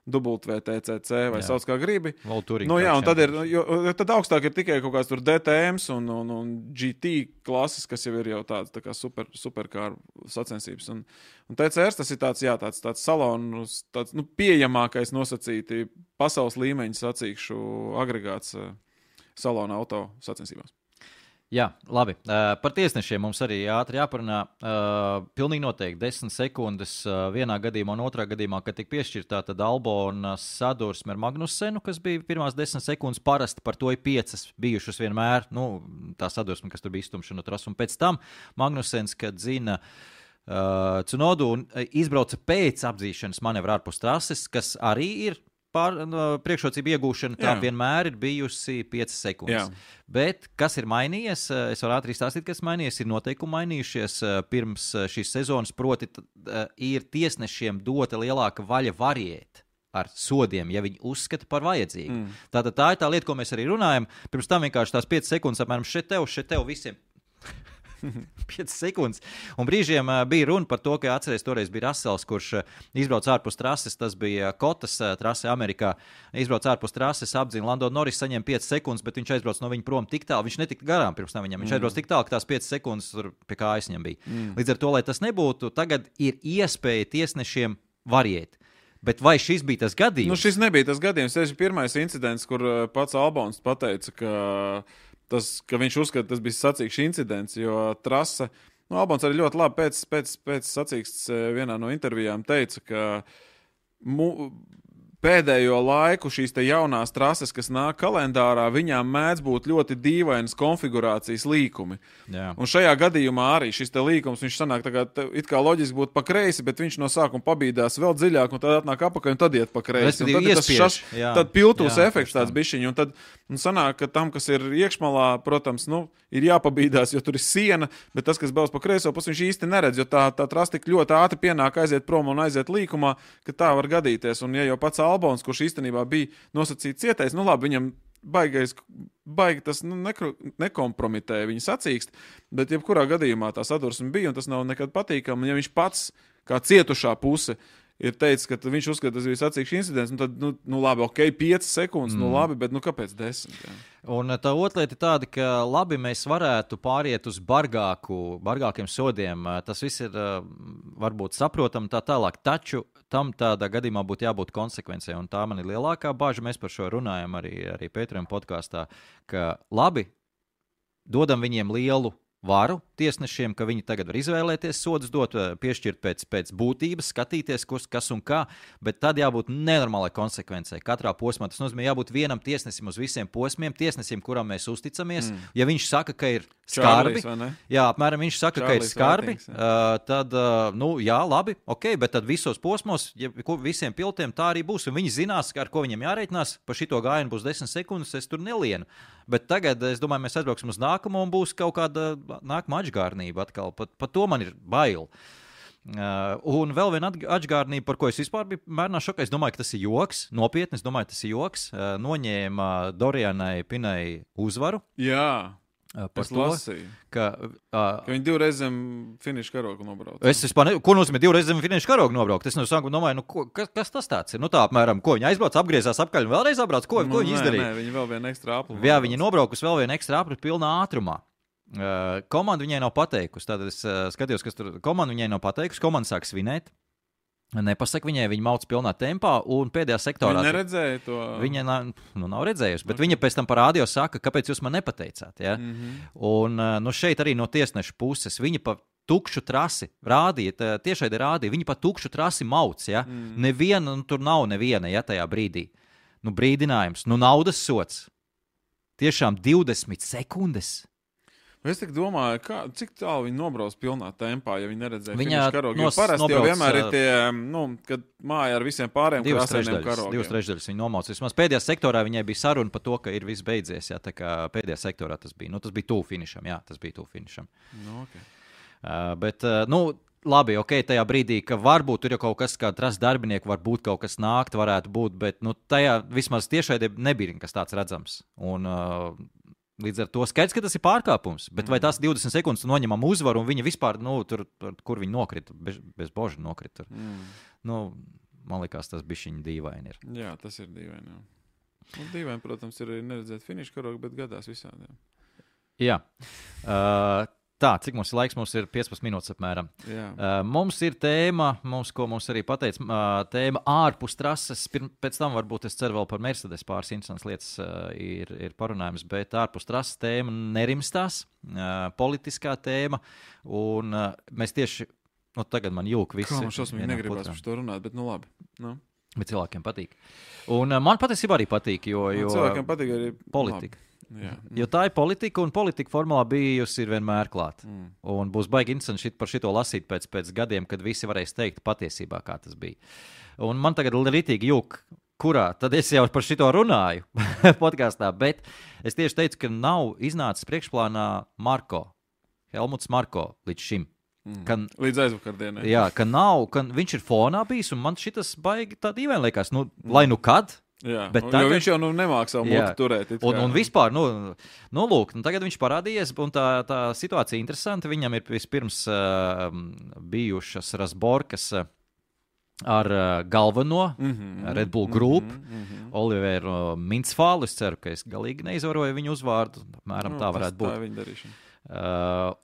WTCC vai sauc kā gribi. Un tad augstāk ir tikai kaut kāds tur DTMs un GT klases, kas jau ir jau tāds tā kā superkāru sacensības. Un TCR tas ir tāds salons, tāds pieejamākais nosacīti pasaules līmeņa sacīkšu agregāts salona auto sacensībās. Jā, labi. Par tiesnešiem mums arī ātri jāparunā. Pilnīgi noteikti 10 sekundes vienā gadījumā un otrā gadījumā, kad tika piešķirtā, tad Albona sadursme ar Magnussenu, kas bija pirmās 10 sekundes, parasti par to ir 5 bijušas vienmēr. Tā sadursme, kas tur bija iztumšana no trases. Un pēc tam Magnussens, kad zina Tsunodu un izbrauca pēc apdzīšanas manevra ārpus trases, kas arī ir priekšrocību iegūšana, tā vienmēr ir bijusi 5 sekundes. Jā. Bet kas ir mainījies? Es varu ātri stāstīt, kas mainījies. Ir noteikumi mainījušies pirms šīs sezonas, proti ir tiesnešiem dota lielāka vaļa variēt ar sodiem, ja viņi uzskata par vajadzīgu. Tātad tā ir tā lieta, ko mēs arī runājam. Pirms tam vienkārši tās 5 sekundes apmēram šeit tev visiem. 5 sekundes. Un brīžiem bija runa par to, ka atceries, toreiz bija Russells, kurš izbrauc ārpus trases, tas bija Kotas trase Amerikā, izbrauc ārpus trases, apdzina Lando Norris, saņem 5 sekundes, bet viņš aizbrauc no viņa prom tik tālu, viņš netika garām pirms tam viņam, viņš aizbrauc tik tālu, ka tās 5 sekundes tur pie kājas viņam bija. Līdz ar to, lai tas nebūtu, tagad ir iespēja tiesnešiem variēt. Bet vai šis bija tas gadījums? Šis nebija tas gadījums. Tas ir pirmais incidents, kur pats Albons pateica, ka viņš uzskata, tas bija sacīksts incidents, jo trase, Albons arī ļoti labi pēc sacīksts vienā no intervijām teica, ka pēdējo laiku šīs te jaunās trases, kas nāk kalendārā, viņām mēdz būt ļoti dīvainas konfigurācijas līkumi. Jā. Un šajā gadījumā arī šis te līkums, viņš sanāk it kā loģiski būtu pa kreisi, bet viņš no sākuma pabīdās vēl dziļāk, un tad atnāk apakaļ, un tad iet pa kreisi. Un tad ir tas tad piltūs efekts tāds bišķiņ, un tad sanāk, ka tam, kas ir iekšmalā, protams, ir jāpabīdās, jo tur ir siena, bet tas, kas brauc pa kreiso pusi, viņš īsti neredz, jo tā trase tik ļoti ātri pienāk aiziet prom un aiziet līkumā, ka tā var gadīties. Un ja jau pats Albons, kurš īstenībā bija nosacīts cietais, labi, viņam baigi tas nekompromitēja viņa sacīkst, bet jebkurā gadījumā tā sadursme bija, un tas nav nekad patīkami. Ja viņš pats, kā cietušā puse, ir teicis, ka viņš uzskata, tas bija sacīksts incidents, un tad, labi, 5 sekundes, labi, bet kāpēc 10? Jā. Un tā otra lieta ir tāda, ka labi, mēs varētu pāriet uz bargākiem sodiem. Tas viss ir varbūt saprotam tā tālāk, taču tam tādā gadījumā būtu jābūt konsekvencei, un tā man ir lielākā bāža. Mēs par šo runājam arī Pēterim podkāstā, ka labi, dodam viņiem lielu varu tiesnešiem, ka viņi tagad var izvēlēties sodus dot, piešķirt pēc būtības, skatīties, kas un kā, bet tad jābūt nenormālai konsekvencei. Katrā posmā tas nozīmē jābūt vienam tiesnesim uz visiem posmiem, tiesnesim, kuram mēs uzticamies. Ja viņš saka, ka ir skarbi, apmēram viņš saka, ka ir skarbi, tad, jā, labi, ok, bet tad visos posmos, visiem pilotiem tā arī būs, un viņi zinās, ar ko viņiem jārēķinās, pa šito gājienu būs 10 sekundes, es tur nelienu. Bet tagad, es domāju, mēs aizbrauksim uz nākamo un būs kaut kāda nākamā atžgārnība atkal. Pat to man ir bail. Un vēl viena atžgārnība, par ko es vispār biju mērnā šokā. Es domāju, ka tas ir joks. Nopietni, es domāju, tas ir joks. Noņēma Dorianai Pinai uzvaru. Jā. Par to, ka viņi 2 reizes zem finiša karoga nobrauc. Ko nozīmē 2 reizes zem finiša karoga nobraukt? Es no sākuma domāju, kas tas tāds ir? Tā apmēram, ko viņi aizbrauc, apgriezās apkaļ un vēlreiz apbrauc? Ko viņi izdarīja? Nē, viņi vēl vienu ekstra apli. Jā, viņi nobraukus vēl vienu ekstra apli pilnā ātrumā. Komanda viņai nav pateikusi. Tātad es skatījos, kas tur komanda viņai nav pateikusi. Komanda sāk svinēt. Nepasaka viņai, viņa mauc pilnā tempā, un pēdējā sektorā... Viņa neredzēja to? Viņa nav redzējusi, bet viņa pēc tam par rādio saka, kāpēc jūs man nepateicāt. Ja? Un šeit arī no tiesneša puses viņa pa tukšu trasi rādīja, tiešai rādīja, viņa pa tukšu trasi mauc. Ja? Neviena, tur nav neviena, ja tajā brīdī. Brīdinājums, naudas sots. Tiešām 20 sekundes. Es tik domāju, cik tālu viņi nobrauc pilnā tempā, ja viņi neredzēja finiša karogu. Jo parasti jau vienmēr ir tie, kad māja ar visiem pārējiem krāsainiem karogiem. 2 trešdaļas viņi nomauc. Vismaz pēdējā sektorā viņai bija saruna par to, ka ir viss beidzies. Jā, tā kā pēdējā sektorā tas bija. Tas bija tuvu finišam. Jā, tas bija tuvu finišam. Okay. Bet, labi, ok, tajā brīdī, ka varbūt tur jau kaut kas, kā trases darbinieki, varbūt kaut kas nākt, varētu būt, bet tajā vismaz tiešai nebija kas tāds redzams. Un līdz ar to skaidrs, ka tas ir pārkāpums, bet vai tās 20 sekundes noņemam uzvaru un viņa vispār, tur, kur viņa nokrita, bez boža nokrita. Man liekas, tas bišķiņ dīvaini ir. Jā, tas ir dīvaini. Dīvaini, protams, ir arī neredzēt finiša karogu, bet gadās visādiem. Jā. Tā, cik mums ir laiks? Mums ir 15 minūtes apmēram. Mums ir tēma, ko mums arī pateica, tēma ārpus trases. Pēc tam varbūt es ceru vēl par Mercedes pāris interesantas lietas ir parunājums, bet ārpus trases tēma nerimstās, politiskā tēma, un mēs tieši, tagad man jūk visi. Kā man šausmīgi negribās par to runāt, bet labi. Bet cilvēkiem patīk. Un man patiesībā arī patīk, jo cilvēkiem patīk arī politika. Jā. Jo tā ir politika, un politika formulā bijusi ir vienmēr klāt. Un būs baigi interesanti par šito lasīt pēc gadiem, kad visi varēs teikt patiesībā, kā tas bija. Un man tagad ritīgi jūk, kurā, tad es jau par šito runāju podkastā, bet es tieši teicu, ka nav iznācis priekšplānā Helmuts Marko līdz šim. Līdz aizvakardienai. Jā, ka viņš ir fonā bijis, un man šitas baigi tā dīvaini liekas, lai kad. Jā, bet tagad, jo viņš jau nemāk savu mutu turēt. Un vispār, lūk, tagad viņš parādījies, un tā situācija interesanta. Viņam ir vispirms bijušas razborkas ar galveno Red Bull Group, Oliveru Mintzfālu. Es ceru, ka es galīgi neizvaroju viņu uzvārdu. Apmēram tā varētu būt. Tā ir viņa darīšana.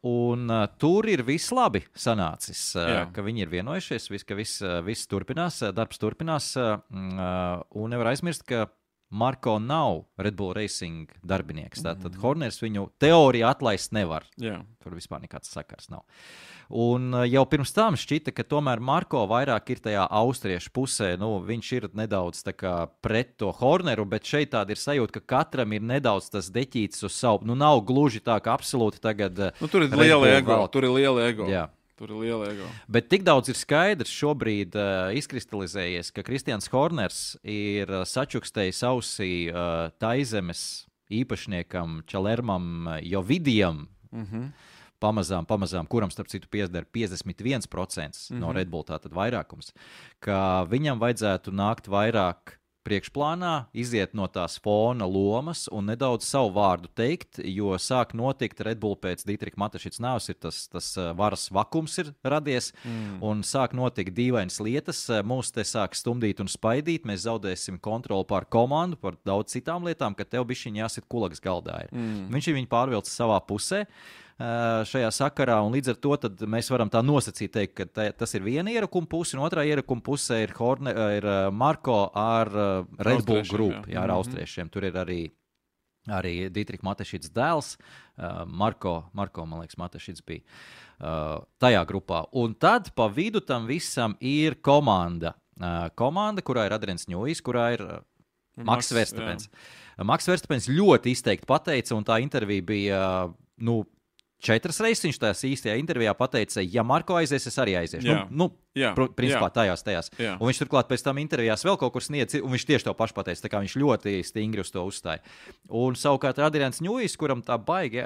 Un tur ir viss labi sanācis, ka viņi ir vienojušies, ka viss turpinās, darbs turpinās, un nevar aizmirst, ka Marko nav Red Bull Racing darbinieks, tātad Horners viņu teoriju atlaist nevar. Jā. Tur vispār nekāds sakars nav. Un jau pirms tam šķita, ka tomēr Marko vairāk ir tajā austriešu pusē, viņš ir nedaudz tā kā pret to Horneru, bet šeit tāda ir sajūta, ka katram ir nedaudz tas deķītis uz savu, nav gluži tā, ka absolūti tagad tur ir liela ego, tur ir liela ego. Jā. Tur ir liela ego. Bet tik daudz ir skaidrs šobrīd izkristalizējies, ka Kristians Horners ir sačukstējis ausī Taizemes īpašniekam Čalermam Jovidijam, pamazām, kuram starp citu pieder 51% no Red Bull, tātad vairākums, ka viņam vajadzētu nākt vairāk priekšplānā, iziet no tās fona lomas un nedaudz savu vārdu teikt, jo sāk notikt Red Bull pēc Dietrika Matešiča nāves, ir tas varas vakums ir radies, un sāk notikt dīvainas lietas, mūs te sāk stumdīt un spaidīt, mēs zaudēsim kontroli pār komandu, par daudz citām lietām, ka tev bišķiņ jāsit kulagas galdā ir. Viņš ir viņu pārvilcis savā pusē, šajā sakarā, un līdz ar to tad mēs varam tā nosacīt teikt, ka tas ir viena ierakuma puse, un otrā ierakuma puse ir Marko ar Red Bull Group, ar austriešiem. Tur ir arī Dietrika Matešičs dēls, Marko, man liekas, Matešičs bija tajā grupā. Un tad pa vidu tam visam ir komanda, kurā ir Adrians Ņujs, kurā ir Maks Verstapens. Maks Verstapens ļoti izteikti pateica, un tā intervija bija, 4 reizes viņš tās īstajā intervijā pateica, ja Marko aizies, es arī aiziešu. Principā tajās. Jā. Un viņš turklāt pēc tam intervijās vēl kaut kur sniedz, un viņš tieši to pašu pateica, tā kā viņš ļoti stingri uz to uzstāja. Un savukārt Adrians Ņujs, kuram tā baigi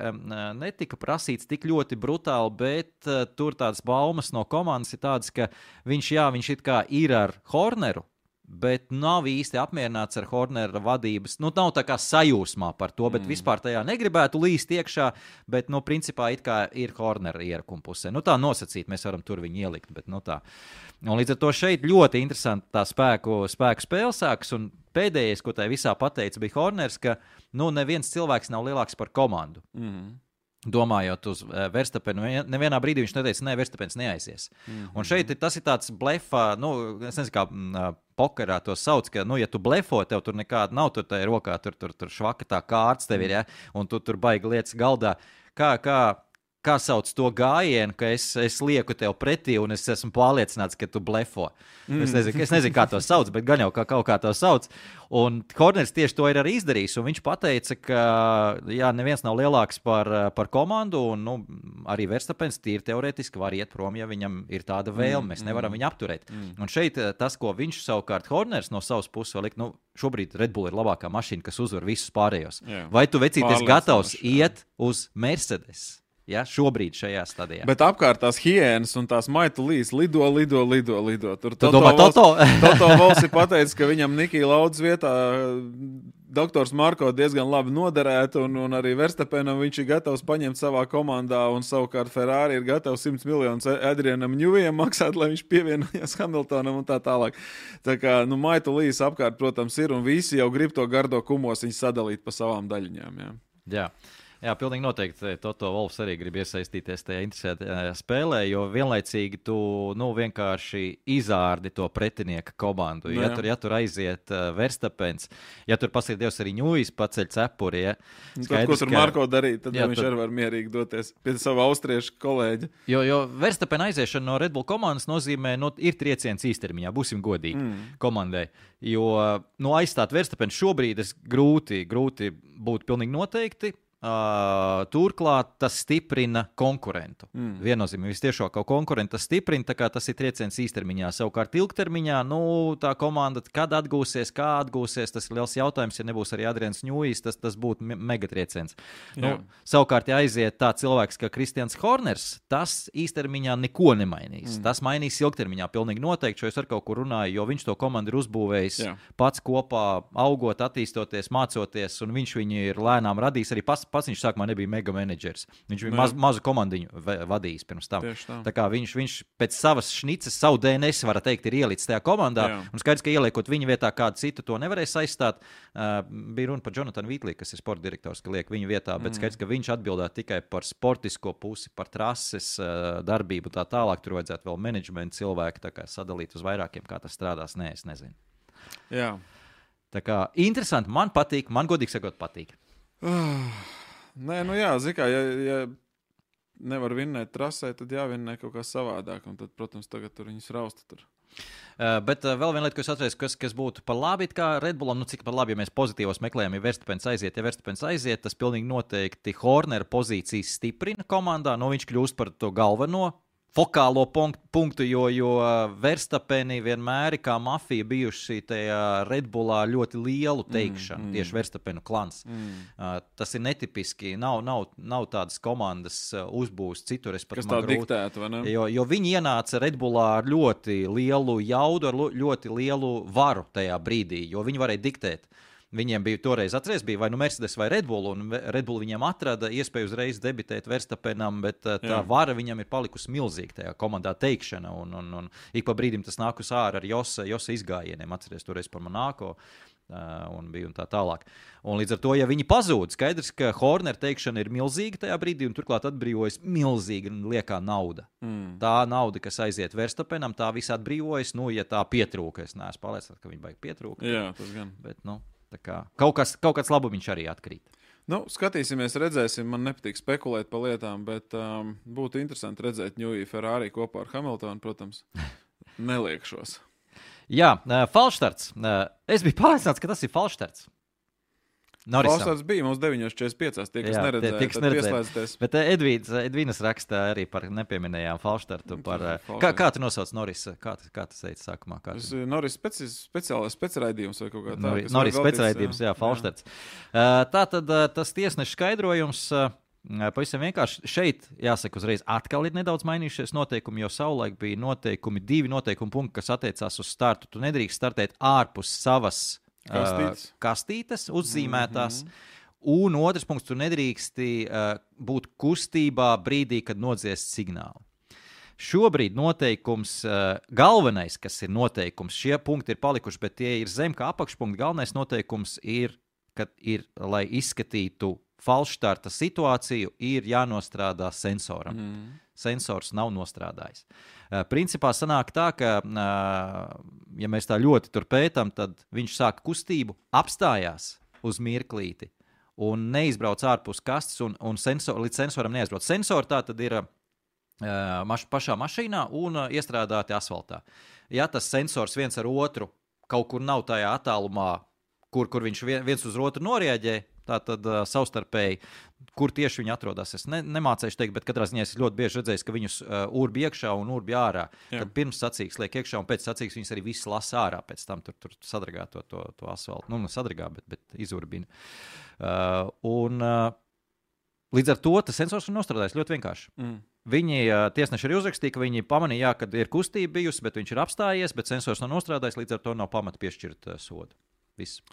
netika prasīts tik ļoti brutāli, bet tur tādas baumas no komandas ir tādas, ka viņš it kā ir ar Horneru, bet nav īsti apmierināts ar Hornera vadības. Nav tā kā sajūsmā par to, bet vispār tajā negribētu līst iekšā, bet, principā it kā ir Hornera ierakuma pusē. Tā nosacīt, mēs varam tur viņu ielikt, bet, tā. Un līdz ar to šeit ļoti interesanti tā spēku spēle sākas, un pēdējais, ko tai visā pateica, bija Horners, ka, neviens cilvēks nav lielāks par komandu. Domājot uz Verstapenu, nevienā brīdī viņš neteica, Verstapens neaizies. Un šeit tas ir tāds blefa, es nezinu, kā pokerā to sauc, ka, ja tu blefo, tev tur nekāda nav tur tajā rokā, tur švaka tā kārts tev ir, ja, un tu tur baigi lietas galdā. Kā sauc to gājienu, ka es lieku tev pretī un es esmu pārliecināts, ka tu blefo. Es nezinu, kā to sauc, bet gan jau kaut kā to sauc. Un Horners tieši to ir arī izdarījis, un viņš pateica, ka neviens nav lielāks par komandu, un arī Verstapens tīri teorētiski var iet prom, ja viņam ir tāda vēlme. Mēs nevaram viņu apturēt. Un šeit tas, ko viņš savukārt Horners no savas puses vēl liek, šobrīd Red Bull ir labākā mašīna, kas uzvar visus pārējos. Jā. Vai tu vecīties gatavs iet uz Mercedes? Ja, šobrīd šajā stadijā. Bet apkārt tās hienas un tās maitulīs lido. Tur Toto Vols ir pateicis, ka viņam Nikija Laudas vietā doktors Marko diezgan labi noderētu, un arī Verstapenam viņš ir gatavs paņemt savā komandā, un savukārt Ferrari ir gatavs 100 miljonus Adrianam Ņujam maksāt, lai viņš pievienojas Hamiltonam un tā tālāk. Tā kā, maitulīs apkārt, protams, ir, un visi jau grib to gardo kumos viņu sadalīt pa savām daļiņām. Jā. Jā, pilnīgi noteikti Toto Wolfs arī grib iesaistīties tajā interesētajā spēlē, jo vienlaicīgi tu vienkārši izārdi to pretinieka komandu. Ja tur aiziet Verstapens, ja tur pasīdējos arī Ņūjs paceļ cepuri, ja. Tad, ko tur Marko darīt, tad viņš arī var mierīgi doties pie savu austriešu kolēģi. Jo Verstapen aiziešana no Red Bull komandas nozīmē, ir trieciens īstermiņā, būsim godīgi komandai. Jo aizstāt Verstapen šobrīd grūti būtu pilnīgi noteikti. Turklāt tas stiprina konkurentu. Viennozīmīgi vistiešāko konkurentu tas stiprina, tā kā tas ir trieciens īstermiņā. Savukārt ilgtermiņā, tā komanda, kad atgūsies, kā atgūsies, tas ir liels jautājums, ja nebūs arī Adrians Ņūjs, tas būtu megatrieciens. Savukārt, ja aiziet tā cilvēks kā Kristians Horners, tas īstermiņā neko nemainīs. Tas mainīs ilgtermiņā, pilnīgi noteikti, šo es ar kaut kur runāju, jo viņš to komandu ir uzbūvējis pats kopā, augot, attīstoties, mācoties, un viņš viņu ir lēnām radījis arī pats viņš sākumā nebija mega menedžers. Viņš bija mazu komandiņu vadījis pirms tam. Tā kā viņš pēc savas šnices, savu DNS, var teikt, ir ielicis tajā komandā. Un skaidrs, ka ieliekot viņa vietā kādu citu, to nevarēs aizstāt. Bija runa par Jonathan Wheatley, kas ir sporta direktors, ka liek viņa vietā, bet skaidrs, ka viņš atbildētu tikai par sportisko pusi, par trases darbību tā tālāk. Tur vajadzētu vēl menedžmentu cilvēku tā kā sadalīt uz vairākiem, kā tas strādās. Nē, es nezinu. Jā. Tā kā interesanti, man patīk, man godīgi sakot patīk. Nē, zini kā, ja nevar vinnēt trasē, tad jāvinnē kaut kā savādāk, un tad, protams, tagad tur viņus rausta tur. Bet vēl viena lieta, ko es atceros, kas būtu par labi, kā Red Bullam, cik par labi, ja mēs pozitīvos meklējam, ja Verstapens aiziet, tas pilnīgi noteikti Hornera pozīcijas stiprina komandā, viņš kļūst par to galveno fokālo punktu, jo Verstapeni vienmēr kā mafija bijuši tajā Red Bullā ļoti lielu teikšanu, tieši Verstapenu klans. Tas ir netipiski, nav tādas komandas uzbūs citur. Kas tā diktētu, vai ne? Jo viņi ienāca Red Bullā ar ļoti lielu jaudu, ar ļoti lielu varu tajā brīdī, jo viņi varēja diktēt. Viņiem bija toreiz atceries, bija vai Mercedes vai Red Bull, un Red Bull viņiem atrada iespēju uzreiz debitēt Verstapenam, bet tā vara viņam ir palikusi milzīga tajā komandā teikšana, un ik pa brīdim tas nāk uz ārā ar Josa izgājieniem, atceries toreiz par Monako, un bija un tā tālāk. Un līdz ar to, ja viņi pazūd, skaidrs, ka Horner teikšana ir milzīga tajā brīdī, un turklāt atbrīvojas milzīga liekā nauda. Tā nauda, kas aiziet Verstapenam, tā visa atbrīvojas, ja tā pietrūka, es neesmu pārliecināts, ka viņi baigi pietrūka. Jā, tas gan. Bet, tā kā kaut kāds labumiņš arī atkrīt. Skatīsimies, redzēsim. Man nepatīk spekulēt par lietām, bet būtu interesanti redzēt Ņūju Ferrari kopā ar Hamiltonu, protams. Neliekšos. Jā, falšstarts. Es biju pārliecināts, ka tas ir falšstarts. Falšstarts bija mums 9.45, tie, kas neredzēja, tad pieslēdzieties. Bet Edvīnas rakstā arī par nepieminējām falšstartu. Kā tu nosauc Norisa? Kā tas teica sākumā? Noris specraidījums vai kaut kā tā. Noris specraidījums, jā, falšstarts. Tātad tas tiesneša skaidrojums pavisam vienkārši šeit, jāsaka uzreiz, atkal ir nedaudz mainījušies noteikumi, jo savulaik bija divi noteikumi punkti, kas attiecās uz startu. Tu nedrīkst startēt ārpus savas kastītes uzzīmētās, un otrs punkts, tu nedrīksti būt kustībā brīdī, kad nodziest signālu. Šobrīd noteikums, galvenais, kas ir noteikums, šie punkti ir palikuši, bet tie ir zem kā apakšpunkti, galvenais noteikums ir, lai izskatītu falšstarta situāciju, ir jānostrādā sensoram. Sensors nav nostrādājis. Principā sanāk tā, ka, ja mēs tā ļoti tur pētam, tad viņš sāk kustību, apstājās uz mirklīti un neizbrauc ārpus kastes un līdz sensoram neaizbrauc. Sensori tā tad ir pašā mašīnā un iestrādāti asfaltā. Ja tas sensors viens ar otru kaut kur nav tajā attālumā, kur viņš viens uz otru norēģē, tātad savstarpēji, kur tieši viņi atrodas. Es nemācēšu teikt, bet katrā ziņā es ļoti bieži redzēju, ka viņus urbi iekšā un urbi ārā. Tad pirms sacīks liek iekšā un pēc sacīks viņus arī viss lasa ārā. Pēc tam tur sadragā to asfaltu. Sadragā, bet izurbina. Līdz ar to tas sensors ir nostrādājis ļoti vienkārši. Viņi tiesneši arī uzrakstīja, ka viņi pamanīja, ka ir kustība bijusi, bet viņš ir apstājies, bet sensors nav nostrādājis, līdz ar to nav pamata piešķirt sodu. Viss.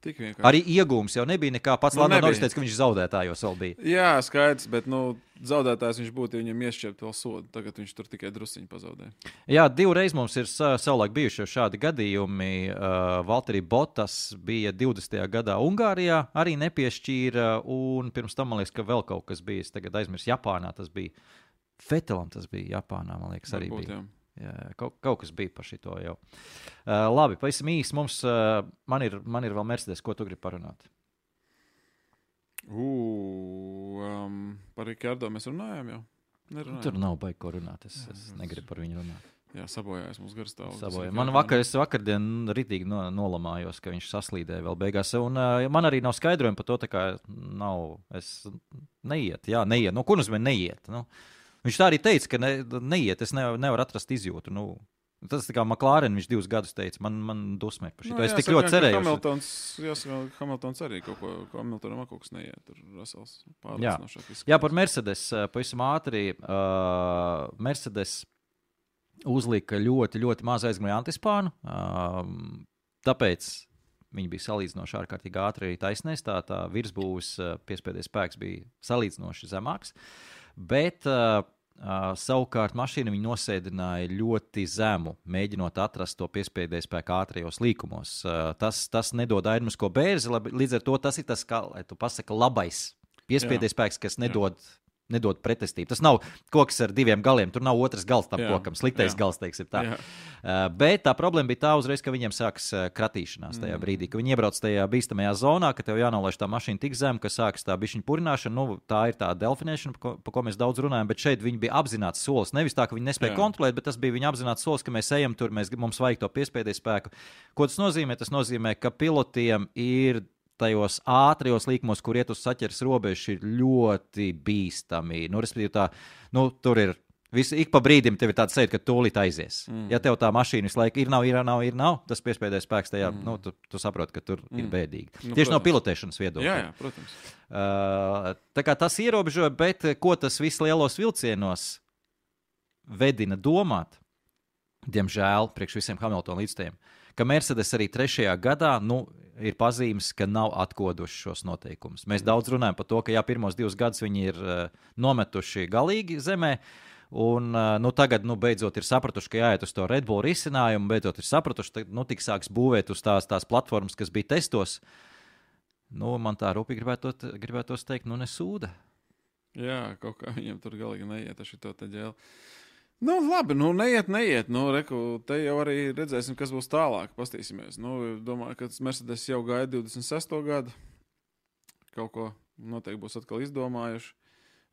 Tik vienkārši. Arī iegūms jau nebija nekā. Pats Lando Norris teica, ka viņš zaudētājos vēl bija. Jā, skaidrs, bet zaudētājs viņš būtu, ja viņam iešķirt vēl sodu. Tagad viņš tur tikai drusiņu pazaudēja. Jā, 2 reizes mums ir savulaik bijuši šādi gadījumi. Valtteri Bottas bija 20. gadā Ungārijā, arī nepiešķīra, un pirms tam, man liekas, ka vēl kaut kas bija. Es tagad aizmirsu Japānā, tas bija Vettelam, tas bija Japānā, man liekas, arī bija. Jā, kaut kas bija par šito jau. Labi, pavisam īsti mums, man ir vēl Mercedes, ko tu gribi parunāt? Par Ricardo mēs runājām jau? Nerunājām. Tur nav baigi ko runāt, es negribu par viņu runāt. Jā, sabojājās mums garstāvus. Man es vakardien ritīgi nolamājos, ka viņš saslīdēja vēl beigās, un man arī nav skaidrojumi par to, tā kā neiet. Nu, ko nozīmē neiet? Nu? Viņš tā arī teica, ka neiet, es nevaru atrast izjūtu. Nu, tas tā kā McLaren, viņš 2 gadus teica, man dusmē par šito. Es tik ļoti cerēju. Hamiltons arī kaut ko, Hamiltonam kaut kas neiet. Tur Russells pārliecinošāk. Jā, par Mercedes, pavisam ātri, Mercedes uzlika ļoti, ļoti maz aizgāja antispānu, tāpēc viņi bija salīdzinoši ārkārtīgi ātri arī taisnēs, tā virsbūves piespēdējais spēks bija salīdzinoši zemāks. Bet savukārt mašīna viņi nosēdināja ļoti zemu, mēģinot atrast to piespēdēju spēku ātrajos līkumos. Tas nedod aerodinamisko bērzi, līdz ar to tas ir tas, kā tu pasaki, labais piespēdēju spēks, kas nedod pretestību. Tas nav koks ar 2 galiem, tur nav otrs gals tam kokam, sliktais gals, teiksim tā. Bet tā problēma bija tā uzreiz, ka viņiem sāks kratīšanās tajā brīdī, ka viņi iebrauc tajā bīstamajā zonā, ka tev jānolaiž tā mašīna tik zem, ka sāks tā bišķiņa purināšana, tā ir tā delfinēšana, pa ko mēs daudz runājam, bet šeit viņi bija apzināts solis, nevis tā, ka viņi nespēja kontrolēt, bet tas bija viņa apzināts solis, ka mēs ejam tur, mums vajag to piespēdēju spēku. Ko tas nozīmē? Tas nozīmē, ka pilotiem ir tajos ātrajos līkumos, kur iet uz saķeres robežu, ir ļoti bīstami. Respektīvi tur ir ik pa brīdim tev ir tāds sajūta, ka tūlīt aizies. Ja tev tā mašīna visu laiku ir nav, tas piespēdējais spēks tajā, tu saproti, ka tur ir bēdīgi. Tieši no pilotēšanas viedokļa. Jā, protams. Tā kā tas ierobežoja, bet ko tas viss lielos vilcienos vedina domāt, diemžēl, priekš visiem Hamiltona līdzstājiem, ka Mercedes arī 3. gadā, ir pazīmes, ka nav atkoduši šos noteikumus. Mēs daudz runājam par to, ka pirmos 2 gadus viņi ir nometuši galīgi zemē, un tagad, beidzot ir sapratuši, ka jāiet uz to Red Bull risinājumu, beidzot ir sapratuši, ka tik sāks būvēt uz tās platformas, kas bija testos. Man tā rūpīgi gribētos teikt, nesūda. Jā, kaut kā viņiem tur galīgi neiet ar šito te ģēli. Labi, neiet. Reku, te jau arī redzēsim, kas būs tālāk. Pastīsimies. Domāju, ka Mercedes jau gaida 26. gadu. Kaut ko noteikti būs atkal izdomājuši.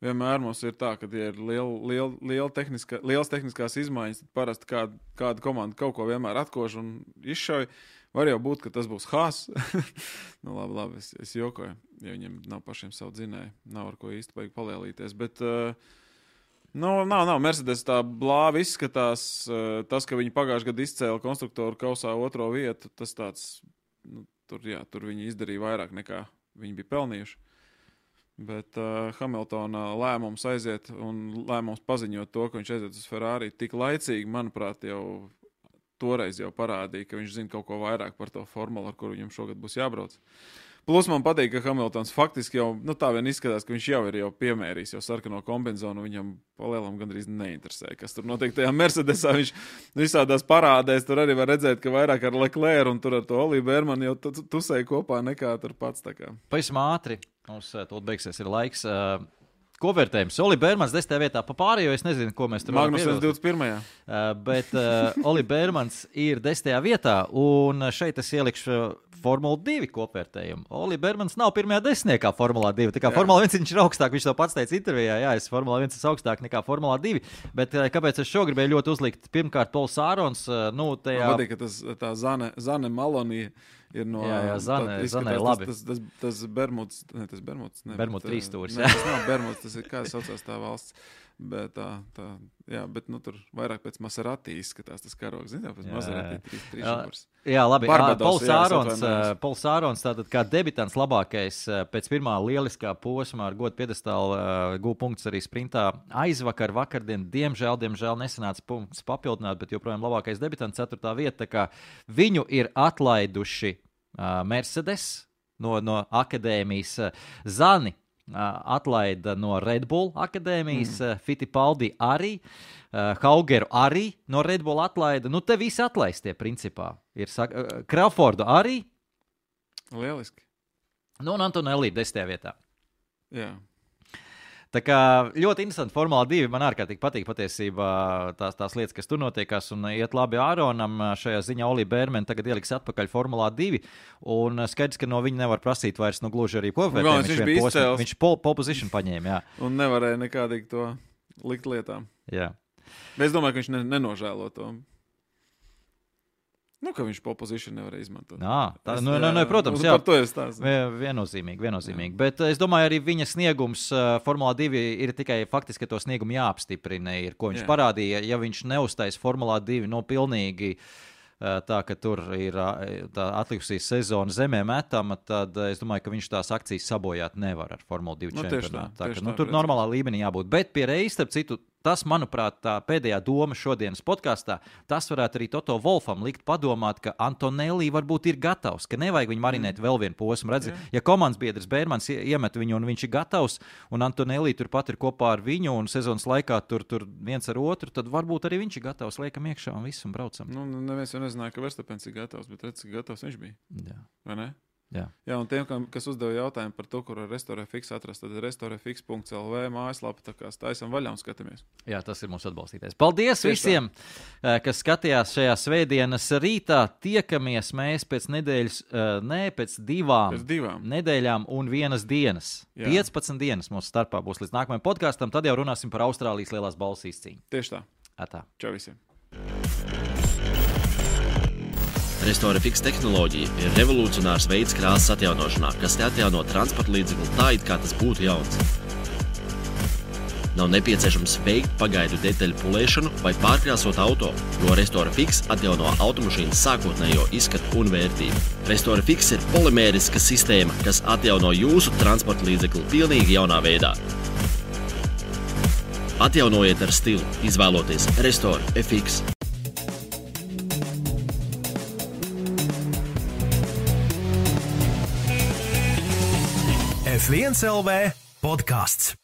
Vienmēr mums ir tā, ka ja ir liels tehniskās izmaiņas, tad parasti kāda komanda kaut ko vienmēr atkož un izšauj. Var jau būt, ka tas būs Haas. Labi, es jokoju, ja viņiem nav pašiem savu dzinēju. Nav ar ko īsti vajag palielīties, bet... Nav. Mercedes tā blāvi izskatās. Tas, ka viņi pagājušajā gadā izcēla konstruktoru kausā 2. vietu, tas tāds, tur viņi izdarīja vairāk nekā viņi bija pelnījuši. Bet Hamiltona lēmums aiziet un lēmums paziņot to, ka viņš aiziet uz Ferrari tik laicīgi, manuprāt, jau toreiz jau parādīja, ka viņš zina kaut ko vairāk par to formulu, ar kuru viņam šogad būs jābrauc. Plus man patīk, ka Hamiltons faktiski jau, tā vien izskatās, ka viņš jau ir piemērījis jau sarkano kombinzonu, viņam palielam gandrīz neinteresē, kas tur notiek tajā Mercedesā. Viņš visādās parādēs, tur arī var redzēt, ka vairāk ar Leclerc un tur ar to Oliju Bērmanu jau tusēja kopā nekā tur pats. Pavisam ātri, mums tūlīt beigsies ir laiks. Ko vērtējums? Oli Bērmans 10. vietā pa pārējo, es nezinu, ko mēs tur varam pievilkt. Magnusens 21. Bet Oli Bērmans ir 10. vietā, un šeit es ielikšu Formula 2 kopvērtējumu. Oli Bērmans nav pirmajā 10. kā Formula 2. Tā kā Formula 1 viņš ir augstāk, viņš to pats teica intervijā, es Formula 1 esmu augstāk nekā Formula 2. Bet kāpēc es šo gribēju ļoti uzlikt? Pirmkārt, Pols Ārons, tajā... Man patīk, ka tā Zane Malonija ir no... Jā, Zane labi. Tas Bermuds, ne. Bermud 3 stūris. Tas nav Bermuds, tas ir, kā saucās tā valsts. Bet bet tur vairāk pēc Maserati izskatās tas karogs. Zini, pēc Maserati 3 šūrs. Jā, labi. Barbados, Pols Ārons, tātad kā debitants labākais pēc pirmā lieliskā posmā ar godu piedestālu gūja punktus arī sprintā. Vakardien, diemžēl nesanāca punktus papildināt, bet joprojām labākais debitants 4. vieta. Tā kā viņu ir atlaiduši Mercedes no akadēmijas, Zani atlaida no Red Bull akadēmijas, Fittipaldi arī, Haugeru arī no Red Bull atlaida. Nu, te visi atlaistie, principā. Ir Crawfordu arī. Lieliski. Nu, un Antonelli 10. vietā. Jā. Tā kā ļoti interesanti Formula 2. Man ārkārtīgi patīk patiesībā tās lietas, kas tur notiekās, un iet labi Āronam. Šajā ziņā Olī Bērmeni tagad ieliks atpakaļ Formulā 2, un skaidrs, ka no viņa nevar prasīt vairs gluži arī kopvērtējumu. Viņš pole position paņēma, jā. Un nevarēja nekādīgi to likt lietām. Jā. Bet es domāju, ka viņš nenožēlo to. Nu, ka viņš pole position nevarēja izmantot. Protams, jā. Par to es stāstu. Viennozīmīgi. Bet es domāju, arī viņa sniegums Formulā 2 ir tikai faktiski, ka to sniegumu jāapstiprina, ko viņš parādīja. Ja viņš neuztais Formulā 2, pilnīgi tā, ka tur ir tā atlikusī sezona zemē metama, tad es domāju, ka viņš tās akcijas sabojāt nevar ar Formula 2 čempionātu. Tur normālā līmenī jābūt. Bet pie reizes, starp citu, tas, manuprāt, tā pēdējā doma šodienas podkastā, tas varētu arī Toto Wolfam likt padomāt, ka Antonelli varbūt ir gatavs, ka nevajag viņu marinēt vēl vienu posmu. Redzi, ja komandas biedrs Bērmans iemet viņu un viņš ir gatavs, un Antonelli turpat ir kopā ar viņu un sezonas laikā tur viens ar otru, tad varbūt arī viņš ir gatavs, liekam iekšā un viss un braucam. Nu, neviens jau nezināja, ka Verstapens ir gatavs, bet redz, cik gatavs viņš bija. Jā. Vai ne? Jā, un tiem, kas uzdeva jautājumu par to, kur ar RestoreFix atrast, tad restorefix.lv mājaslapa, tā kā staisam vaļā un skatāmies. Jā, tas ir mūsu atbalstītājs. Paldies visiem, kas skatījās šajā svētdienas rītā. Tiekamies mēs pēc nedēļas, pēc divām nedēļām un vienas dienas. Jā. 15 dienas mūsu starpā būs līdz nākamajam podkastam, tad jau runāsim par Austrālijas lielās balvas izcīņu. Tieši tā. Atā. Čau visiem. RestoreFix tehnoloģija ir revolucionārs veids krāsas atjaunošanā, kas atjauno transporta līdzekli tā, it kā tas būtu jauns. Nav nepieciešams veikt pagaidu detaļu pulēšanu vai pārkrāsot auto, jo RestoreFix atjauno automašīnas sākotnējo izskatu un vērtību. RestoreFix ir polimēriska sistēma, kas atjauno jūsu transporta līdzekli pilnīgi jaunā veidā. Atjaunojiet ar stilu, izvēloties RestoreFix. F1 LV podcasts.